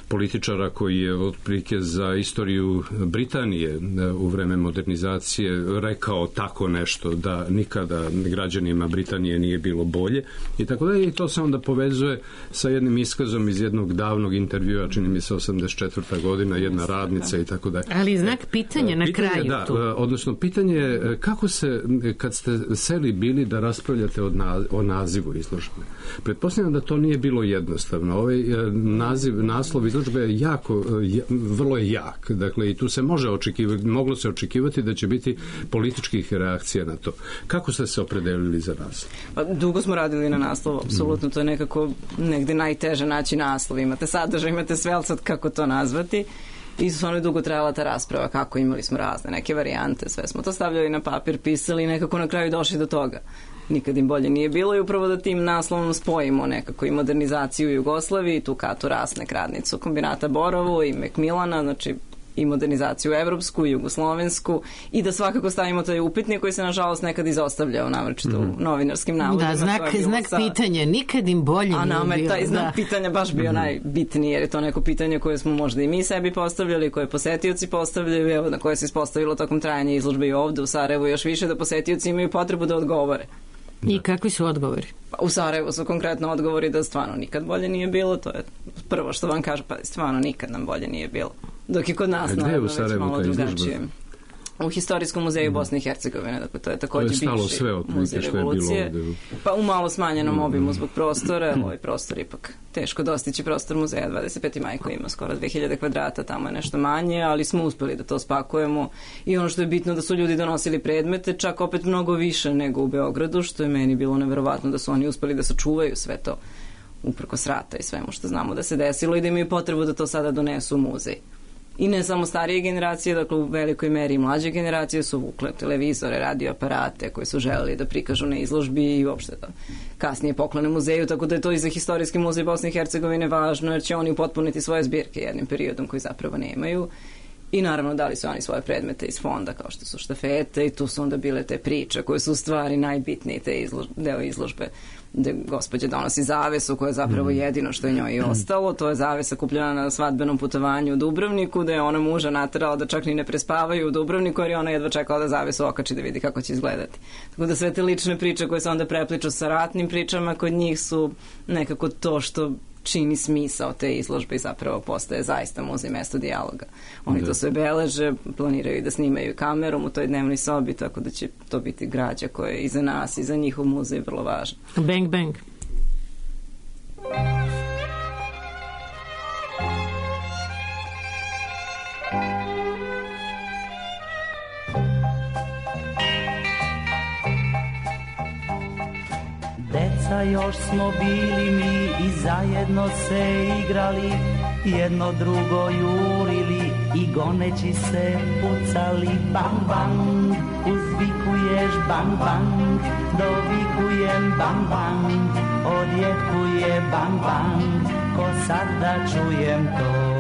političara koji je otprilike za istoriju Britanije u vreme modernizacije rekao tako nešto da nikada građanima Britanije nije bilo bolje i tako da i to se onda povezuje sa jednim iskazom iz jednog davnog intervjua, čini mi se osamdeset četvrta godina, jedna radnica i tako da. Ali znak pitanja na pitanje, kraju da, tu. Odnosno pitanje je kako se, kad ste seli bili da raspravljate o, na, o nazivu izložbe. Pretpostavljam da to nije bilo jednostavno. Ovaj naziv, naslov izložbe izložbe je jako, vrlo je jak. Dakle, i tu se može očekivati, moglo se očekivati da će biti političkih reakcija na to. Kako ste se opredelili za naslov? Pa, dugo smo radili na naslovu, apsolutno. To je nekako negde najteže naći naslov. Imate sadržaj, imate sve, ali sad kako to nazvati. I stvarno je dugo trajala ta rasprava, kako imali smo razne neke varijante, sve smo to stavljali na papir, pisali i nekako na kraju došli do toga. Nikad im bolje nije bilo i upravo da tim naslovom spojimo nekako i modernizaciju Jugoslavije, tu Katu Rasnek, radnicu kombinata Borovo i Mekmilana, znači i modernizaciju evropsku, jugoslovensku i da svakako stavimo taj upitnik koji se nažalost nekad izostavljao navrčito mm. u novinarskim navodima. Da, znak, znak sa... pitanja, nikad im bolje nije bilo. A nama je taj znak da. pitanja baš bio mm. najbitniji, jer je to neko pitanje koje smo možda i mi sebi postavljali, koje posetioci postavljaju, evo na koje se ispostavilo tokom trajanja izložbe i ovde u Sarajevu još više, da posetioci imaju potrebu da odgovore. I kakvi su odgovori? Pa, u Sarajevu su konkretno odgovori da stvarno nikad bolje nije bilo, to je prvo što vam kažu, pa stvarno nikad nam bolje nije bilo. Dok je kod nas naravno već malo drugačije. U Historijskom muzeju Bosne i Hercegovine, dakle to je također bivši muzej revolucije. Pa u malo smanjenom obimu zbog prostora, ovaj prostor ipak teško dostići prostor muzeja, dvadeset peti maj koji ima skoro dve hiljade kvadrata, tamo je nešto manje, ali smo uspeli da to spakujemo i ono što je bitno da su ljudi donosili predmete, čak opet mnogo više nego u Beogradu, što je meni bilo neverovatno da su oni uspeli da sačuvaju sve to uprkos rata i svemu što znamo da se desilo i da imaju potrebu da to sada donesu u muzej. I ne samo starije generacije, dakle u velikoj meri i mlađe generacije su vukle televizore, radioaparate koji su želeli da prikažu na izložbi i uopšte da kasnije poklone muzeju, tako da je to i za Historijski muzej Bosne i Hercegovine važno, jer će oni upotpuniti svoje zbirke jednim periodom koji zapravo nemaju. I naravno dali su oni svoje predmete iz fonda kao što su štafete i tu su onda bile te priče koje su u stvari najbitniji te izložbe, deo izložbe gde gospođa donosi zavesu koja je zapravo jedino što je njoj i ostalo. To je zavesa kupljena na svadbenom putovanju u Dubrovniku, da je ona muža naterala da čak ni ne prespavaju u Dubrovniku jer je ona jedva čekala da zavesu okači da vidi kako će izgledati. Tako da sve te lične priče koje se onda prepliču sa ratnim pričama kod njih su nekako to što čini smisao te izložbe i zapravo postaje zaista muzej mesto dijaloga. Oni da. to sve beleže, planiraju da snimaju kamerom u toj dnevnoj sobi, tako da će to biti građa koja je i za nas i za njihov muzej vrlo važna. Bang, bang. Deca još smo bili mi i zajedno se igrali, jedno drugo jurili i goneći se pucali. Bang, bang, uzvikuješ bang, bang, dovikujem bang, bang, odjekuje bang, bang, ko sad da čujem to.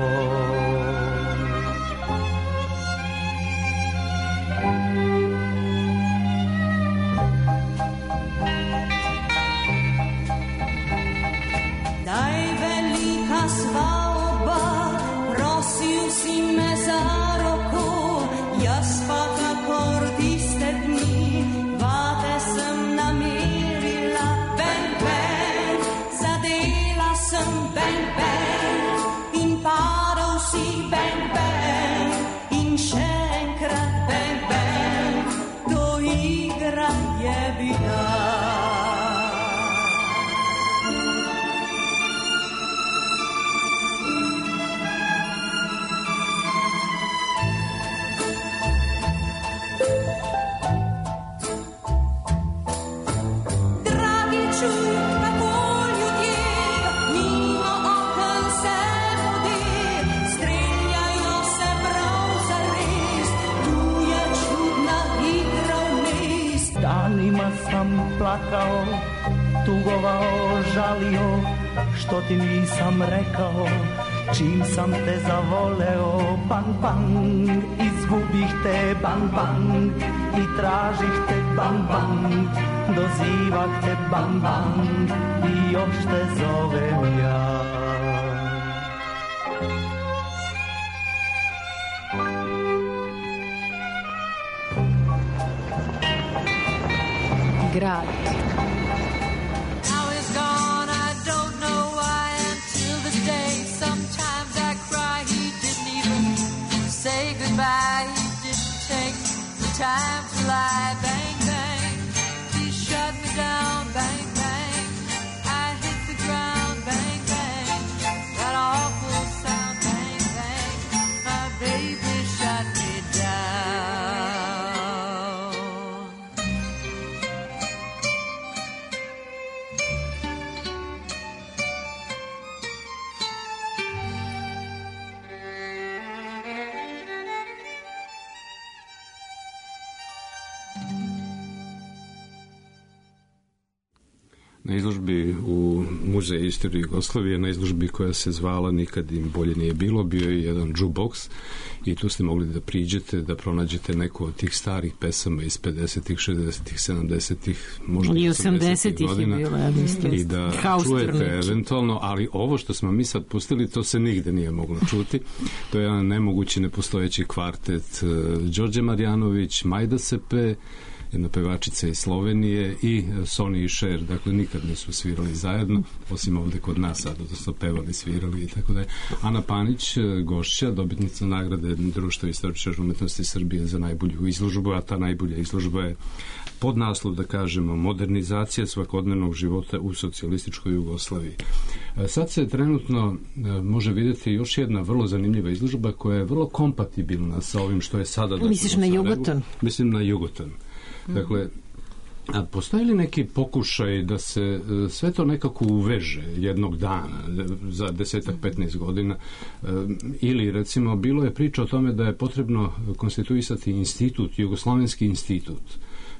Svalba, prosio si me za roko, ja spaka kordiste dni, vate sam namirila, bang, bang, zadela sam, bang, bang, in padal si, bang, bang, in še enkrat, bang, bang, to igra je bila. Sam plakao, tugovao, žalio, što ti nisam rekao, čim sam te zavoleo. Bang, bang, izgubih te, bang, bang, i tražih te, bang, bang, dozivah te, bang, bang, i još te zovem ja. Grad. Now he's gone, I don't know why, until this day. Sometimes I cry, he didn't even say goodbye. He didn't take the time to lie. Bang, bang, he shut me down. Bang, bang, I hit the ground. Bang, bang, that awful sound. na izložbi u Muzeju istorije Jugoslavije, na izložbi koja se zvala Nikad im bolje nije bilo, bio je jedan jukebox i tu ste mogli da priđete, da pronađete neku od tih starih pesama iz pedesetih, šezdesetih, sedamdesetih, možda i osamdesetih godina bilo, ja mislim. I da čujete eventualno, ali ovo što smo mi sad pustili, to se nigde nije moglo čuti. To je jedan nemogući, nepostojeći kvartet Đorđe Marjanović, Majda Sepe, jedna pevačica iz Slovenije i Sonny i Cher, dakle nikad nisu svirali zajedno, osim ovde kod nas sad, odnosno pevali, svirali i tako da je. Ana Panić, gošća, dobitnica nagrade Društva istoričara umetnosti Srbije za najbolju izložbu, a ta najbolja izložba je pod naslov, da kažemo, modernizacija svakodnevnog života u socijalističkoj Jugoslaviji. Sad se trenutno može vidjeti još jedna vrlo zanimljiva izložba koja je vrlo kompatibilna sa ovim što je sada. Misliš na Jugoton? Mislim na Jugoton. Dakle, a postoji li neki pokušaj da se sve to nekako uveže jednog dana za desetak, petnaest godina, ili recimo bilo je priča o tome da je potrebno konstituisati institut, Jugoslovenski institut,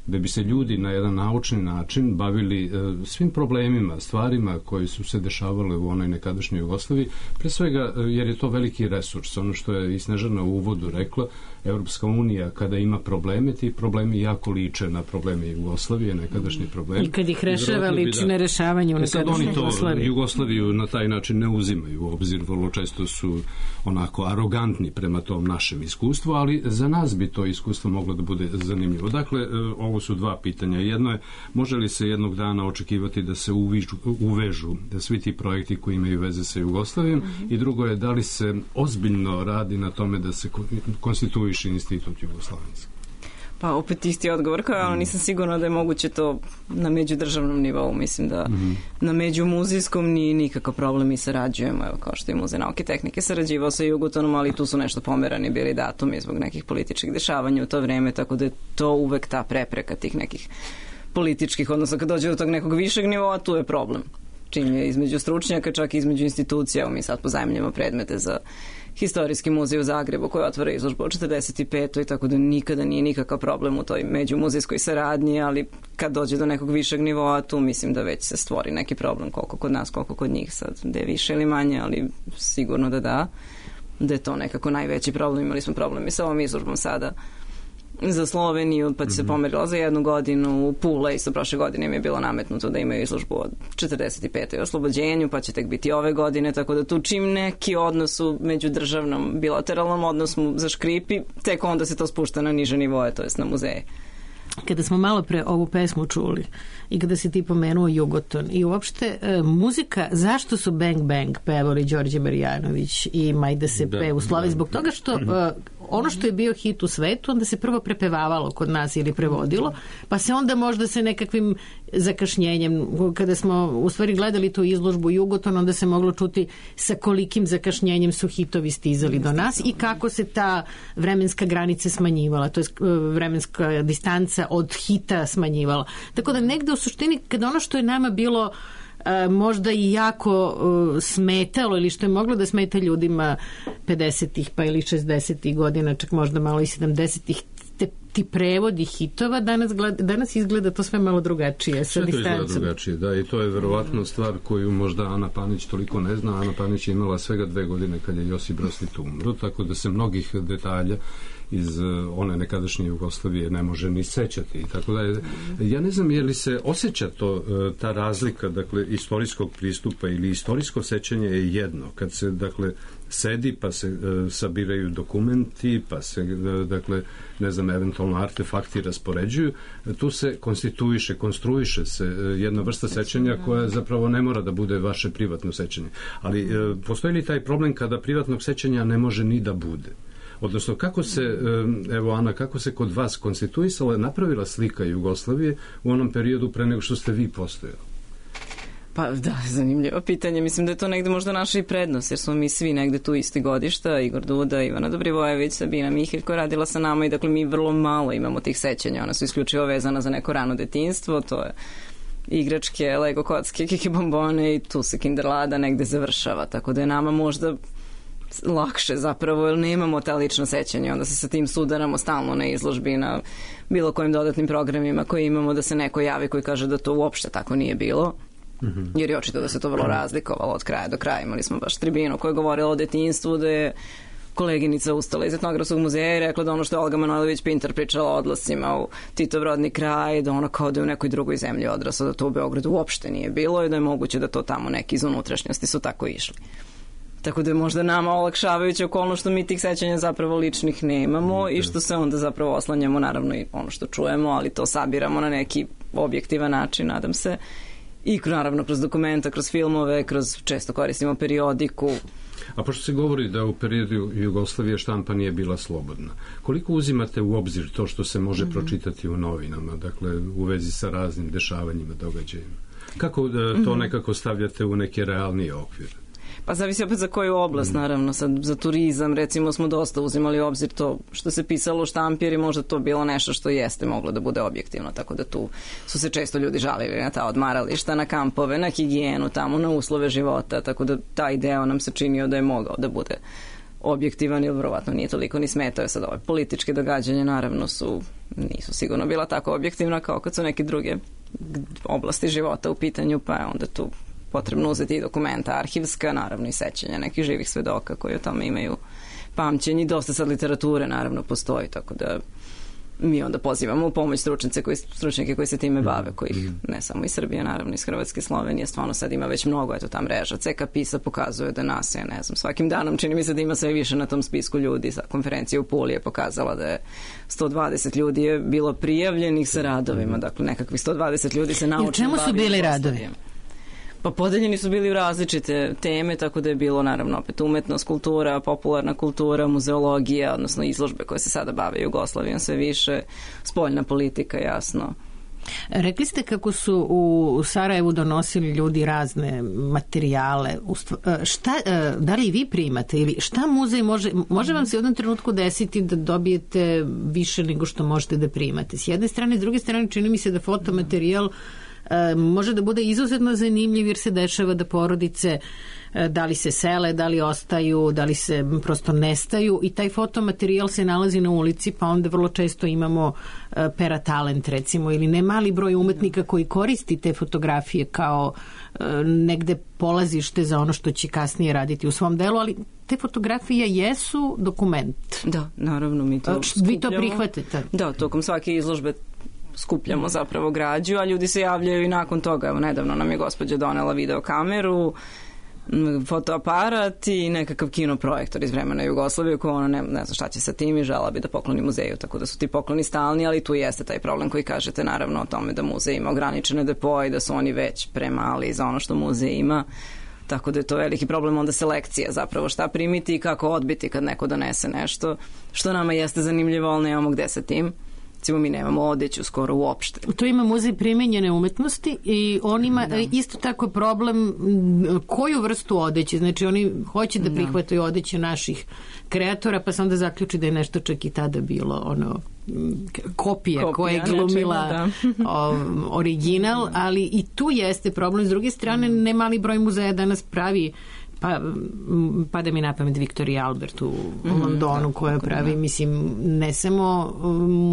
da bi se ljudi na jedan naučni način bavili e, svim problemima, stvarima koji su se dešavale u onoj nekadašnjoj Jugoslaviji, pre svega jer je to veliki resurs. Ono što je i Snežana u uvodu rekla, Evropska unija kada ima probleme, ti problemi jako liče na probleme Jugoslavije, nekadašnji problemi. I kad ih rešava, liči na rešavanje u nekadašnjoj Jugoslaviji. Jugoslaviju na taj način ne uzimaju u obzir, vrlo često su onako arogantni prema tom našem iskustvu, ali za nas bi to iskustvo moglo da bude zanimljivo. Dakle, ovo su dva pitanja. Jedno je, može li se jednog dana očekivati da se uvižu, uvežu da svi ti projekti koji imaju veze sa Jugoslavijom, mm-hmm. i drugo je, da li se ozbiljno radi na tome da se konstituiše institut Jugoslovenski? Pa opet isti odgovor, kao mm. nisam sigurna da je moguće to na međudržavnom nivou. Mislim da mm. na međumuzijskom nije nikakav problem, mi sarađujemo, evo, kao što je Muzej nauke i tehnike sarađivao sa Jugotonom, ali tu su nešto pomerani bili datumi zbog nekih političkih dešavanja u to vreme, tako da je to uvek ta prepreka tih nekih političkih, odnosno kad dođe do tog nekog višeg nivoa, tu je problem. Čim je između stručnjaka, čak i između institucija, mi sad pozajmljamo predmete za Historijski muzej u Zagrebu koji otvara izložbu od četrdeset petoj i tako da nikada nije nikakav problem u toj međumuzejskoj saradnji, ali kad dođe do nekog višeg nivoa, tu mislim da već se stvori neki problem, koliko kod nas, koliko kod njih sad, da je više ili manje, ali sigurno da da, da je to nekako najveći problem. Imali smo problem i sa ovom izložbom sada za Sloveniju, pa će se pomerila za jednu godinu. U Pula isto prošle godine im je bilo nametnuto da imaju izložbu od četrdeset petoj oslobođenju, pa će tek biti ove godine, tako da tu čim neki odnos u međudržavnom bilateralnom odnosu zaškripi, tek onda se to spušta na niže nivoje, to jest na muzeje. Kada smo malo pre ovu pesmu čuli i kada si ti pomenuo Jugoton i uopšte e, muzika, zašto su Bang Bang pevali Đorđe Marjanović i Majda Sepe u Sloveniji? Zbog toga što e, ono što je bio hit u svetu, onda se prvo prepevavalo kod nas ili prevodilo, pa se onda možda se nekakvim zakašnjenjem, kada smo u stvari gledali tu izložbu Jugoton, onda se moglo čuti sa kolikim zakašnjenjem su hitovi stizali do nas i kako se ta vremenska granica smanjivala, to je vremenska distanca od hita smanjivala. Tako da negde u suštini, kada ono što je nama bilo Uh, možda i jako uh, smetalo ili što je moglo da smeta ljudima pedesetih pa ili šezdesetih godina, čak možda malo i sedamdesetih, te, ti prevodi hitova, danas, gleda, danas izgleda to sve malo drugačije. Sa sve to izgleda drugačije, da, i to je verovatno stvar koju možda Ana Panić toliko ne zna. Ana Panić je imala svega dve godine kad je Josip Broz Tito umro, tako da se mnogih detalja iz one nekadašnje Jugoslavije ne može ni sećati. Tako da je, ja ne znam je li se osjeća to, ta razlika, dakle, istorijskog pristupa ili istorijsko sećanje je jedno. Kad se, dakle, sedi pa se e, sabiraju dokumenti, pa se, e, dakle, ne znam, eventualno artefakti raspoređuju, tu se konstituiše, konstruiše se e, jedna vrsta sećanja koja zapravo ne mora da bude vaše privatno sećanje. Ali e, postoji li taj problem kada privatnog sećanja ne može ni da bude? Odnosno, kako se, evo Ana, kako se kod vas konstituisala, napravila slika Jugoslavije u onom periodu pre nego što ste vi postojali? Pa da, zanimljivo pitanje. Mislim da je to negde možda naša i prednost, jer smo mi svi negde tu isti godišta, Igor Duda, Ivana Dobrivojević, Sabina Mihelj koja radila sa nama i dakle mi vrlo malo imamo tih sećanja. Ona su isključivo vezana za neko rano detinjstvo, to je igračke, Lego kocke, kiki bombone i tu se Kinderlada negde završava, tako da je nama možda lakše zapravo, jer nemamo ta lična sećanja, onda se sa tim sudaramo stalno na izložbi, na bilo kojim dodatnim programima koje imamo, da se neko javi koji kaže da to uopšte tako nije bilo. Mm-hmm. Jer je očito da se to vrlo razlikovalo od kraja do kraja. Imali smo baš tribinu koja je govorila o detinjstvu, da je koleginica ustala iz Etnografskog muzeja i rekla da ono što je Olga Manojlović-Pintar pričala o odlascima u Titov rodni kraj, da ono kao da je u nekoj drugoj zemlji odrasla, da to u Beogradu uopšte nije bilo i da je moguće da to tamo neki iz unutrašnjosti su tako išli. Tako da je možda nama olakšavajuća okolnost što mi tih sećanja zapravo ličnih nemamo mm, i što se onda zapravo oslanjamo, naravno i ono što čujemo, ali to sabiramo na neki objektivan način, nadam se. I naravno kroz dokumenta, kroz filmove, kroz često koristimo periodiku. A pošto se govori da u periodu Jugoslavije štampa nije bila slobodna, koliko uzimate u obzir to što se može mm-hmm. pročitati u novinama, dakle u vezi sa raznim dešavanjima, događajima? Kako da to mm-hmm. nekako stavljate u neke realnije okvire? Pa zavisi opet za koju oblast, naravno. Sad, za turizam, recimo, smo dosta uzimali u obzir to što se pisalo u štampi, jer je možda to bilo nešto što jeste moglo da bude objektivno, tako da tu su se često ljudi žalili na ta odmarališta, na kampove, na higijenu, tamo, na uslove života, tako da taj deo nam se činio da je mogao da bude objektivan, ili verovatno nije toliko ni smetao. Sad ove političke događanja, naravno, su nisu sigurno bila tako objektivna kao kad su neke druge oblasti života u pitanju, pa je onda tu potrebno uzeti i dokumenta arhivska, naravno i sećanja nekih živih svedoka koji o tome imaju pamćenje. Dosta sad literature naravno postoji, tako da mi onda pozivamo u pomoć stručnjake koji, stručnjake koji se time bave, kojih ne samo iz Srbije, naravno iz Hrvatske, Slovenije, stvarno sad ima već mnogo, eto ta mreža C K PISA pokazuje da nas je, ne znam, svakim danom čini mi se da ima sve više na tom spisku ljudi. Sa konferencija u Puli je pokazala da je sto dvadeset ljudi je bilo prijavljenih sa radovima, dakle nekakvih sto dvadeset ljudi se naučno bavi. I u čemu su bili radovi? Pa podeljeni su bili u različite teme, tako da je bilo naravno opet umetnost, kultura, popularna kultura, muzeologija, odnosno izložbe koje se sada bave Jugoslavijom sve više, spoljna politika, jasno. Rekli ste kako su u Sarajevu donosili ljudi razne materijale. Šta, da li vi primate ili šta muzej može, može vam se u jednom trenutku desiti da dobijete više nego što možete da primate? S jedne strane, s druge strane čini mi se da fotomaterijal može da bude izuzetno zanimljiv jer se dešava da porodice da li se sele, da li ostaju, da li se prosto nestaju i taj fotomaterijal se nalazi na ulici, pa onda vrlo često imamo peratalent recimo ili ne mali broj umetnika koji koristi te fotografije kao negde polazište za ono što će kasnije raditi u svom delu, ali te fotografije jesu dokument. Da, naravno mi to skupljamo. Vi to prihvatite? Da, tokom svake izložbe skupljamo zapravo građu, a ljudi se javljaju i nakon toga. Evo, nedavno nam je gospođa donela videokameru, fotoaparat i nekakav kinoprojektor iz vremena Jugoslavije koja ona ne, ne zna šta će sa tim i žela bi da pokloni muzeju, tako da su ti pokloni stalni, ali tu jeste taj problem koji kažete naravno o tome da muzej ima ograničene depoje i da su oni već premali za ono što muzej ima, tako da je to veliki problem onda selekcija zapravo šta primiti i kako odbiti kad neko donese nešto što nama jeste zanimljivo, ali nemamo gde sa tim. Recimo, mi nemamo odeću skoro uopšte. To ima muzej primenjene umetnosti i on ima da. isto tako problem koju vrstu odeće. Znači, oni hoće da prihvataju odeće naših kreatora, pa se onda zaključi da je nešto čak i tada bilo ono kopija, kopija koja je glumila o, original, ali i tu jeste problem. S druge strane, ne mali broj muzeja danas pravi pa pada mi na pamet Victoria Albert u mm, Londonu da, koja pravi, da. mislim, ne samo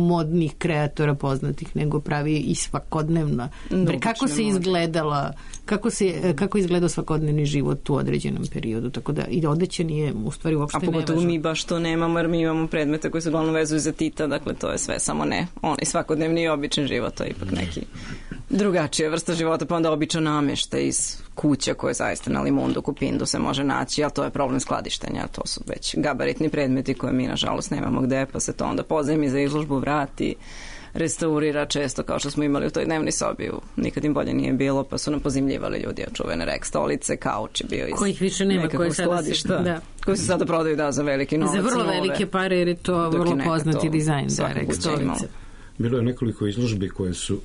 modnih kreatora poznatih, nego pravi i svakodnevno. Bre, kako se izgledala, kako se kako izgledao svakodnevni život u određenom periodu, tako da i odeća nije u stvari uopšte nevažno. A pogotovo mi baš to nemamo, jer mi imamo predmete koji se uglavnom vezuju za Tita, dakle to je sve samo ne onaj svakodnevni i običan život, to je ipak neki drugačija vrsta života, pa onda običan namještaj iz kuća koje zaista na Limundu, Kupindu se može naći, ali to je problem skladištenja, to su već gabaritni predmeti koje mi nažalost nemamo gde, pa se to onda pozajmi za izložbu vrati, restaurira često, kao što smo imali u toj dnevnoj sobi, nikad im bolje nije bilo, pa su nam pozimljivali ljudi čuvene rek stolice, kauč je bio iz kojih više nema, koje skladišta, da. koji se sada prodaju da za veliki novac. Za vrlo nove, velike pare, jer je to vrlo poznati dizajn, da, rek stolice. Bilo je nekoliko izložbi koje su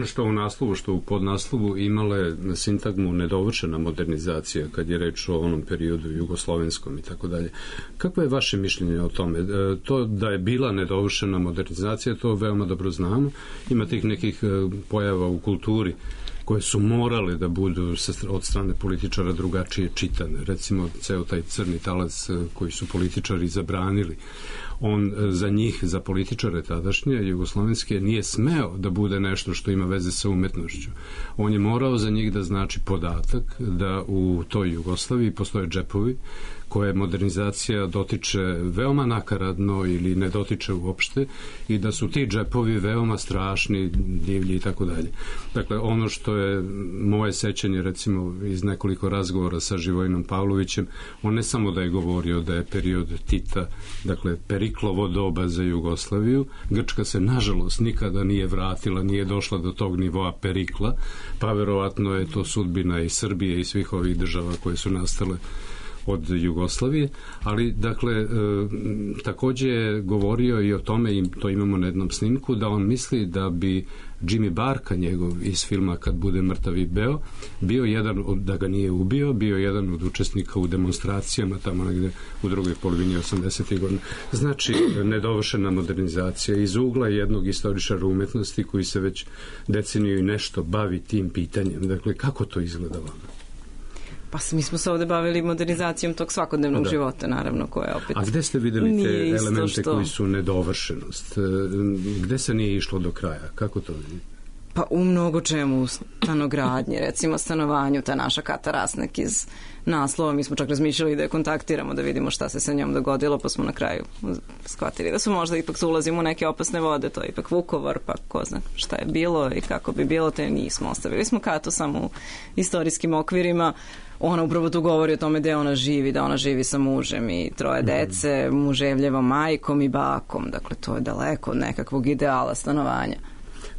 što u naslovu, što u podnaslovu imale sintagmu nedovršena modernizacija kad je reč o onom periodu jugoslovenskom i tako dalje. Kako je vaše mišljenje o tome? To da je bila nedovršena modernizacija, to veoma dobro znamo. Ima tih nekih pojava u kulturi koje su morale da budu od strane političara drugačije čitane. Recimo, ceo taj crni talac koji su političari zabranili, on za njih, za političare tadašnje jugoslovenske, nije smeo da bude nešto što ima veze sa umetnošću. On je morao za njih da znači podatak da u toj Jugoslaviji postoje džepovi koje modernizacija dotiče veoma nakaradno ili ne dotiče uopšte i da su ti džepovi veoma strašni, divlji i tako dalje. Dakle, ono što je moje sećanje, recimo, iz nekoliko razgovora sa Živojinom Pavlovićem, on ne samo da je govorio da je period Tita, dakle, Periklovo doba za Jugoslaviju, Grčka se, nažalost, nikada nije vratila, nije došla do tog nivoa Perikla, pa verovatno je to sudbina i Srbije i svih ovih država koje su nastale od Jugoslavije, ali dakle e, takođe je govorio i o tome, i to imamo na jednom snimku, da on misli da bi Jimmy Barka, njegov iz filma Kad bude mrtav i beo, bio jedan od, da ga nije ubio, bio jedan od učesnika u demonstracijama tamo negde u drugoj polovini osamdesetih godina. Znači, nedovršena modernizacija iz ugla jednog istoričara umetnosti koji se već deceniju i nešto bavi tim pitanjem. Dakle, kako to izgleda vama? Pa mi smo se ovde bavili modernizacijom tog svakodnevnog da. života, naravno, koje opet... A gde ste videli te elemente što... koji su nedovršenost? Gde se nije išlo do kraja? Kako to vidite? Pa u mnogo čemu, u stanogradnje, recimo stanovanju, ta naša Kata Rasnek iz naslova, mi smo čak razmišljali da je kontaktiramo, da vidimo šta se sa njom dogodilo, pa smo na kraju shvatili da su možda ipak su ulazimo u neke opasne vode, to je ipak Vukovar, pa ko zna šta je bilo i kako bi bilo, te nismo. Ostavili smo Katu samo u istorijskim okvirima. Ona upravo tu govori o tome gde ona živi, da ona živi sa mužem i troje dece, muževljevom majkom i bakom, dakle to je daleko od nekakvog ideala stanovanja.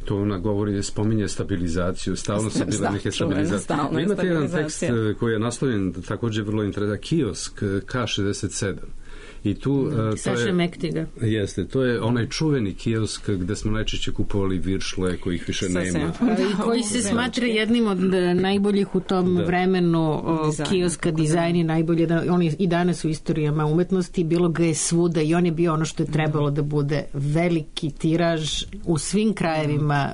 To ona govori, spominje stabilizaciju, stalno su bile neke stabilizacije. Vi imate jedan tekst koji je naslovljen takođe vrlo interesantan, Kiosk K šezdeset sedam. I tu, mm, Saša Mektiga. Jeste, to je onaj čuveni kiosk gde smo najčešće kupovali viršle kojih više nema. I koji se smatra jednim od najboljih u tom da. vremenu Dizajn. kioska, dizajni najbolje, da, on je i danas u istorijama umetnosti, bilo ga je svuda i on je bio ono što je trebalo da bude veliki tiraž u svim krajevima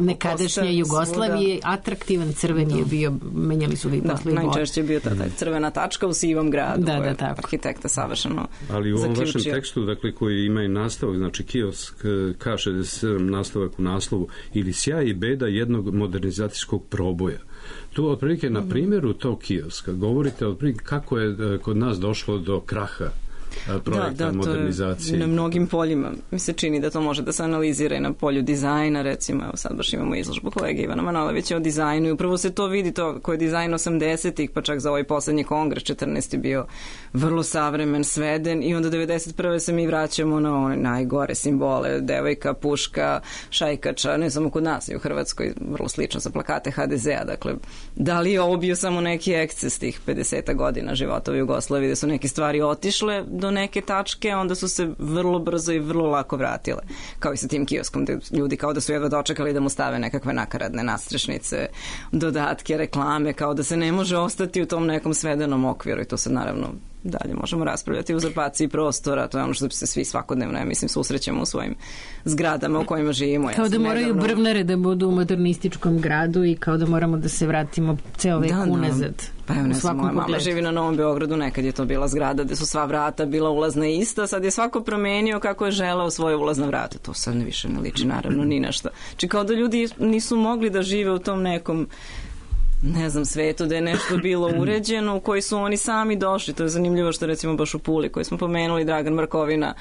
nekadašnje Jugoslavije, svuda. Atraktivan crven da. je bio, menjali su ga i da, posle i vode. Najčešće je bio ta crvena tačka u sivom gradu, da, koja da, tako. arhitekta savršeno ali u ovom zaključio. vašem tekstu, dakle, koji ima i nastavak, znači Kiosk K šezdeset sedam, nastavak u naslovu, ili sjaj i beda jednog modernizacijskog proboja. Tu, otprilike, na primjeru tog kioska govorite otprilike kako je kod nas došlo do kraha projekta da, da, modernizacije. Na mnogim poljima mi se čini da to može da se analizira i na polju dizajna, recimo, evo sad baš imamo izložbu kolege Ivana Manojlovića o dizajnu i upravo se to vidi, to koji je dizajn osamdesetih, pa čak za ovaj poslednji kongres četrnaesti bio vrlo savremen, sveden i onda devedeset prve se mi vraćamo na one najgore simbole, devojka, puška, šajkača, ne samo kod nas i u Hrvatskoj, vrlo slično sa plakate ha de zea, dakle, da li je ovo bio samo neki eksces tih pedeset godina života u Jugoslaviji, da su neke stvari otišle do neke tačke, onda su se vrlo brzo i vrlo lako vratile. Kao i sa tim kioskom, gde ljudi kao da su jedva dočekali da mu stave nekakve nakaradne nastrešnice, dodatke, reklame, kao da se ne može ostati u tom nekom svedenom okviru i to se naravno dalje možemo raspravljati o uzurpaciji prostora, to je ono što se svi svakodnevno, ja mislim, susrećemo u svojim zgradama u kojima živimo. Kao ja da moraju nedavno... brvnare da budu u modernističkom gradu i kao da moramo da se vratimo ceo vek da, unazad. Pa evo, ne znam, moja mama živi na Novom Beogradu, nekad je to bila zgrada gde su sva vrata bila ulazna ista, sad je svako promenio kako je želeo svoje ulazna vrata. To sad ne više ne liči, naravno, ni na šta. Či kao da ljudi nisu mogli da žive u tom nekom ne znam, svetu, da je nešto bilo uređeno u koji su oni sami došli. To je zanimljivo što recimo baš u Puli koji smo pomenuli, Dragan Markovina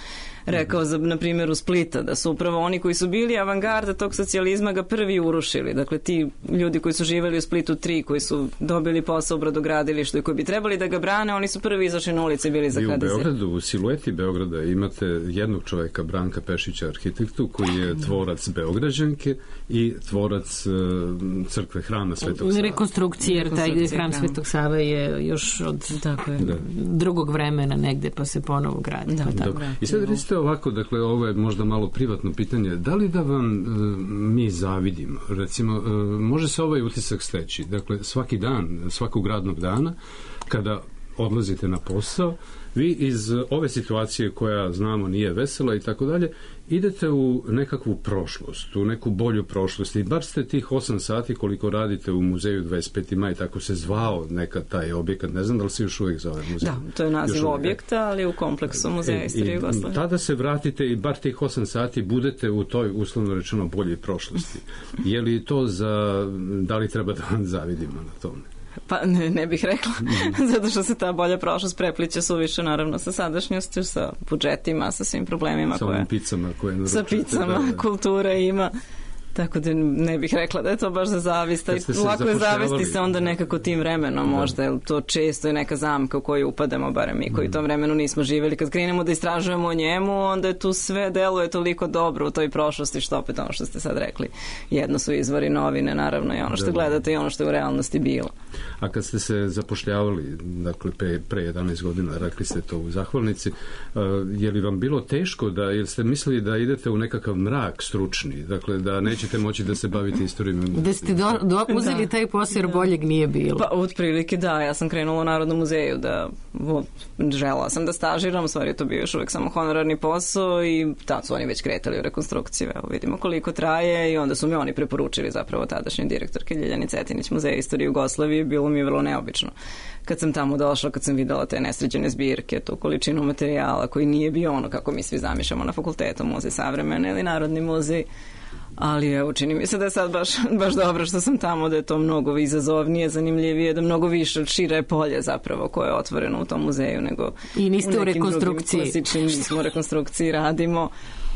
rekao za, na primjer, u Splita, da su upravo oni koji su bili avangarda tog socijalizma ga prvi urušili. Dakle, ti ljudi koji su živeli u Splitu tri, koji su dobili posao u brodogradilištu i koji bi trebali da ga brane, oni su prvi izašli na ulici i bili za ha de ze. U Beogradu, u silueti Beograda imate jednog čoveka, Branka Pešića, arhitektu, koji je tvorac Beograđanke i tvorac uh, crkve hrama Svetog Save. Rekonstrukcije, jer taj hram Svetog Save je još od tako je, da. drugog vremena negde, pa se ponovo gradi. Da, pa tako. I sad recite ovako, dakle, ovo je možda malo privatno pitanje, da li da vam e, mi zavidimo? Recimo, e, može se ovaj utisak steći, dakle, svaki dan, svakog radnog dana, kada odlazite na posao, vi iz ove situacije koja znamo nije vesela i tako dalje, idete u nekakvu prošlost, u neku bolju prošlost i bar ste tih osam sati koliko radite u muzeju dvadeset peti maj, tako se zvao nekad taj objekat, ne znam da li se još uvijek zove muzej. Da, to je naziv objekta, ali u kompleksu Muzeja istorije Jugoslavije. Tada se vratite i bar tih osam sati budete u toj, uslovno rečeno, boljoj prošlosti. Je li to za, da li treba da vam zavidimo na tome? Pa ne, ne bih rekla, mm. zato što se ta bolja prošlost prepliče suviše naravno sa sadašnjošću, sa budžetima, sa svim problemima sa koje... picama koje naručate. Sa picama, da, da. Kultura ima. Tako da ne bih rekla da je to baš za zavist. Lako je zavesti se onda nekako tim vremenom, da. Možda, jer to često je neka zamka u koju upademo, barem mi koji u tom vremenu nismo živjeli. Kad krenemo da istražujemo o njemu, onda je tu sve deluje toliko dobro u toj prošlosti, što opet ono što ste sad rekli. Jedno su izvori novine, naravno, i ono što da. Gledate i ono što je u realnosti bilo. A kad ste se zapošljavali, dakle, pre, pre jedanaest godina, rekli ste to u Zahvalnici, uh, je li vam bilo teško da, jer ste mislili da idete u nekakav mrak stručni, dakle, da neće ćete moći da se bavite istorijom. Da ste do, do, uzeli da. Taj posao jer boljeg nije bilo. Pa otprilike da, ja sam krenula u Narodnom muzeju da žela sam da stažiram, u stvari je to bio još uvek samo honorarni posao i tad su oni već kretali u rekonstrukciju, evo vidimo koliko traje i onda su mi oni preporučili zapravo tadašnji direktorke Ljiljani Cetinić Muzeja istorije Jugoslavije, bilo mi je vrlo neobično. Kad sam tamo došla, kad sam videla te nesređene zbirke, tu količinu materijala koji nije bio ono kako mi svi zamišljamo na fakultetu, muzej savremene ili Narodni muzej. Ali evo, čini mi se da je sad baš, baš dobro što sam tamo, da je to mnogo izazovnije, zanimljivije, da mnogo više šire polje zapravo koje je otvoreno u tom muzeju nego i niste u, u rekonstrukciji. Klasičnim, nismo u rekonstrukciji, radimo,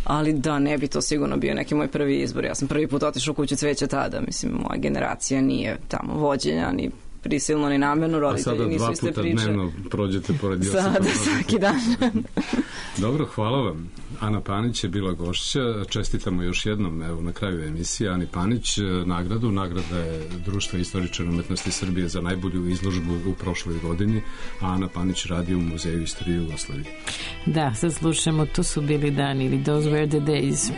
ali da, ne bi to sigurno bio neki moj prvi izbor. Ja sam prvi put otišla u Kuću cveća tada, mislim, moja generacija nije tamo vođenja, ni prisilno ni namjerno, roditelji nisu iste priče. A sada dva puta dnevno prođete pored Josipa. Sada, svaki dan. Dobro, hvala vam. Ana Panić je bila gošća. Čestitamo još jednom, evo, na kraju emisije Ani Panić nagradu. Nagrada je Društva istoričara umetnosti Srbije za najbolju izložbu u prošloj godini, a Ana Panić radi u Muzeju istorije Jugoslavije. Da, sad slušamo To su bili dani ili Those were the days.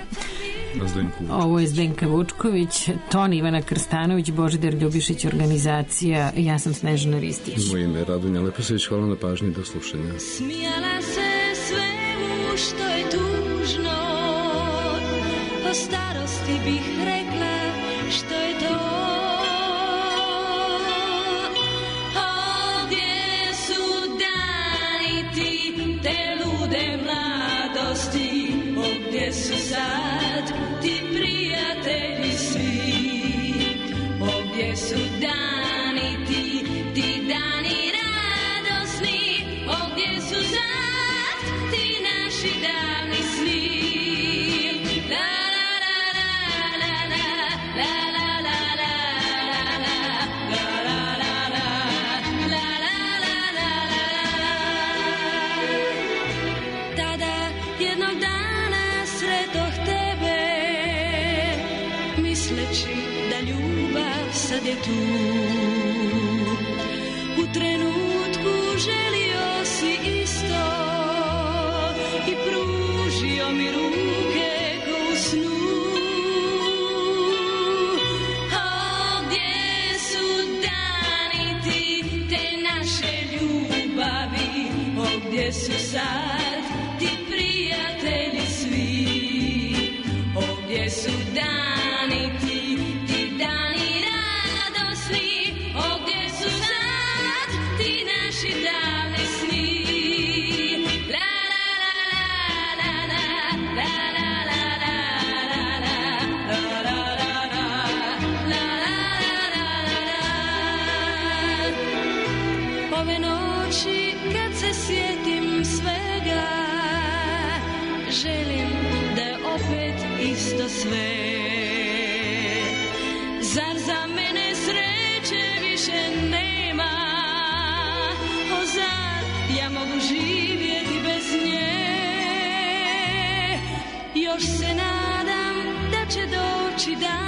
Ovo je Zdenka Vučković, ton Ivana Krstanović, Božidar Ljubišić, organizacija, ja sam Snežana Ristić. Moje ime je Radonja Leposević, hvala na pažnji, do slušanja. Smijala se svemu što je tužno, o starosti bih rekla što je to. Ovdje su dani ti, te lude mladosti, ovdje su sad ti prijatelji svi, ovdje su dani ti, ti dani radosni, ovdje su sad ti naši davni sni. La la la la la la la la la la la la la la. Tada jednog dana sretoh tebe, misleći da ljubav sad je tu. U trenutku želio si isto i pružio mi ruke ko u snu. Ovdje su dani ti, te naše ljubavi, ovdje su sad ti prijatelji svi, ovdje su dani ti, ti dani radosni, ovdje su sad ti naši davni sni. La la la la la la la la la la la la. Ove noći kad se sjetim svega, želim da je opet isto sve. Zar za mene sreće više nema? O zar ja mogu živjeti bez nje? Još se nadam da će doći dan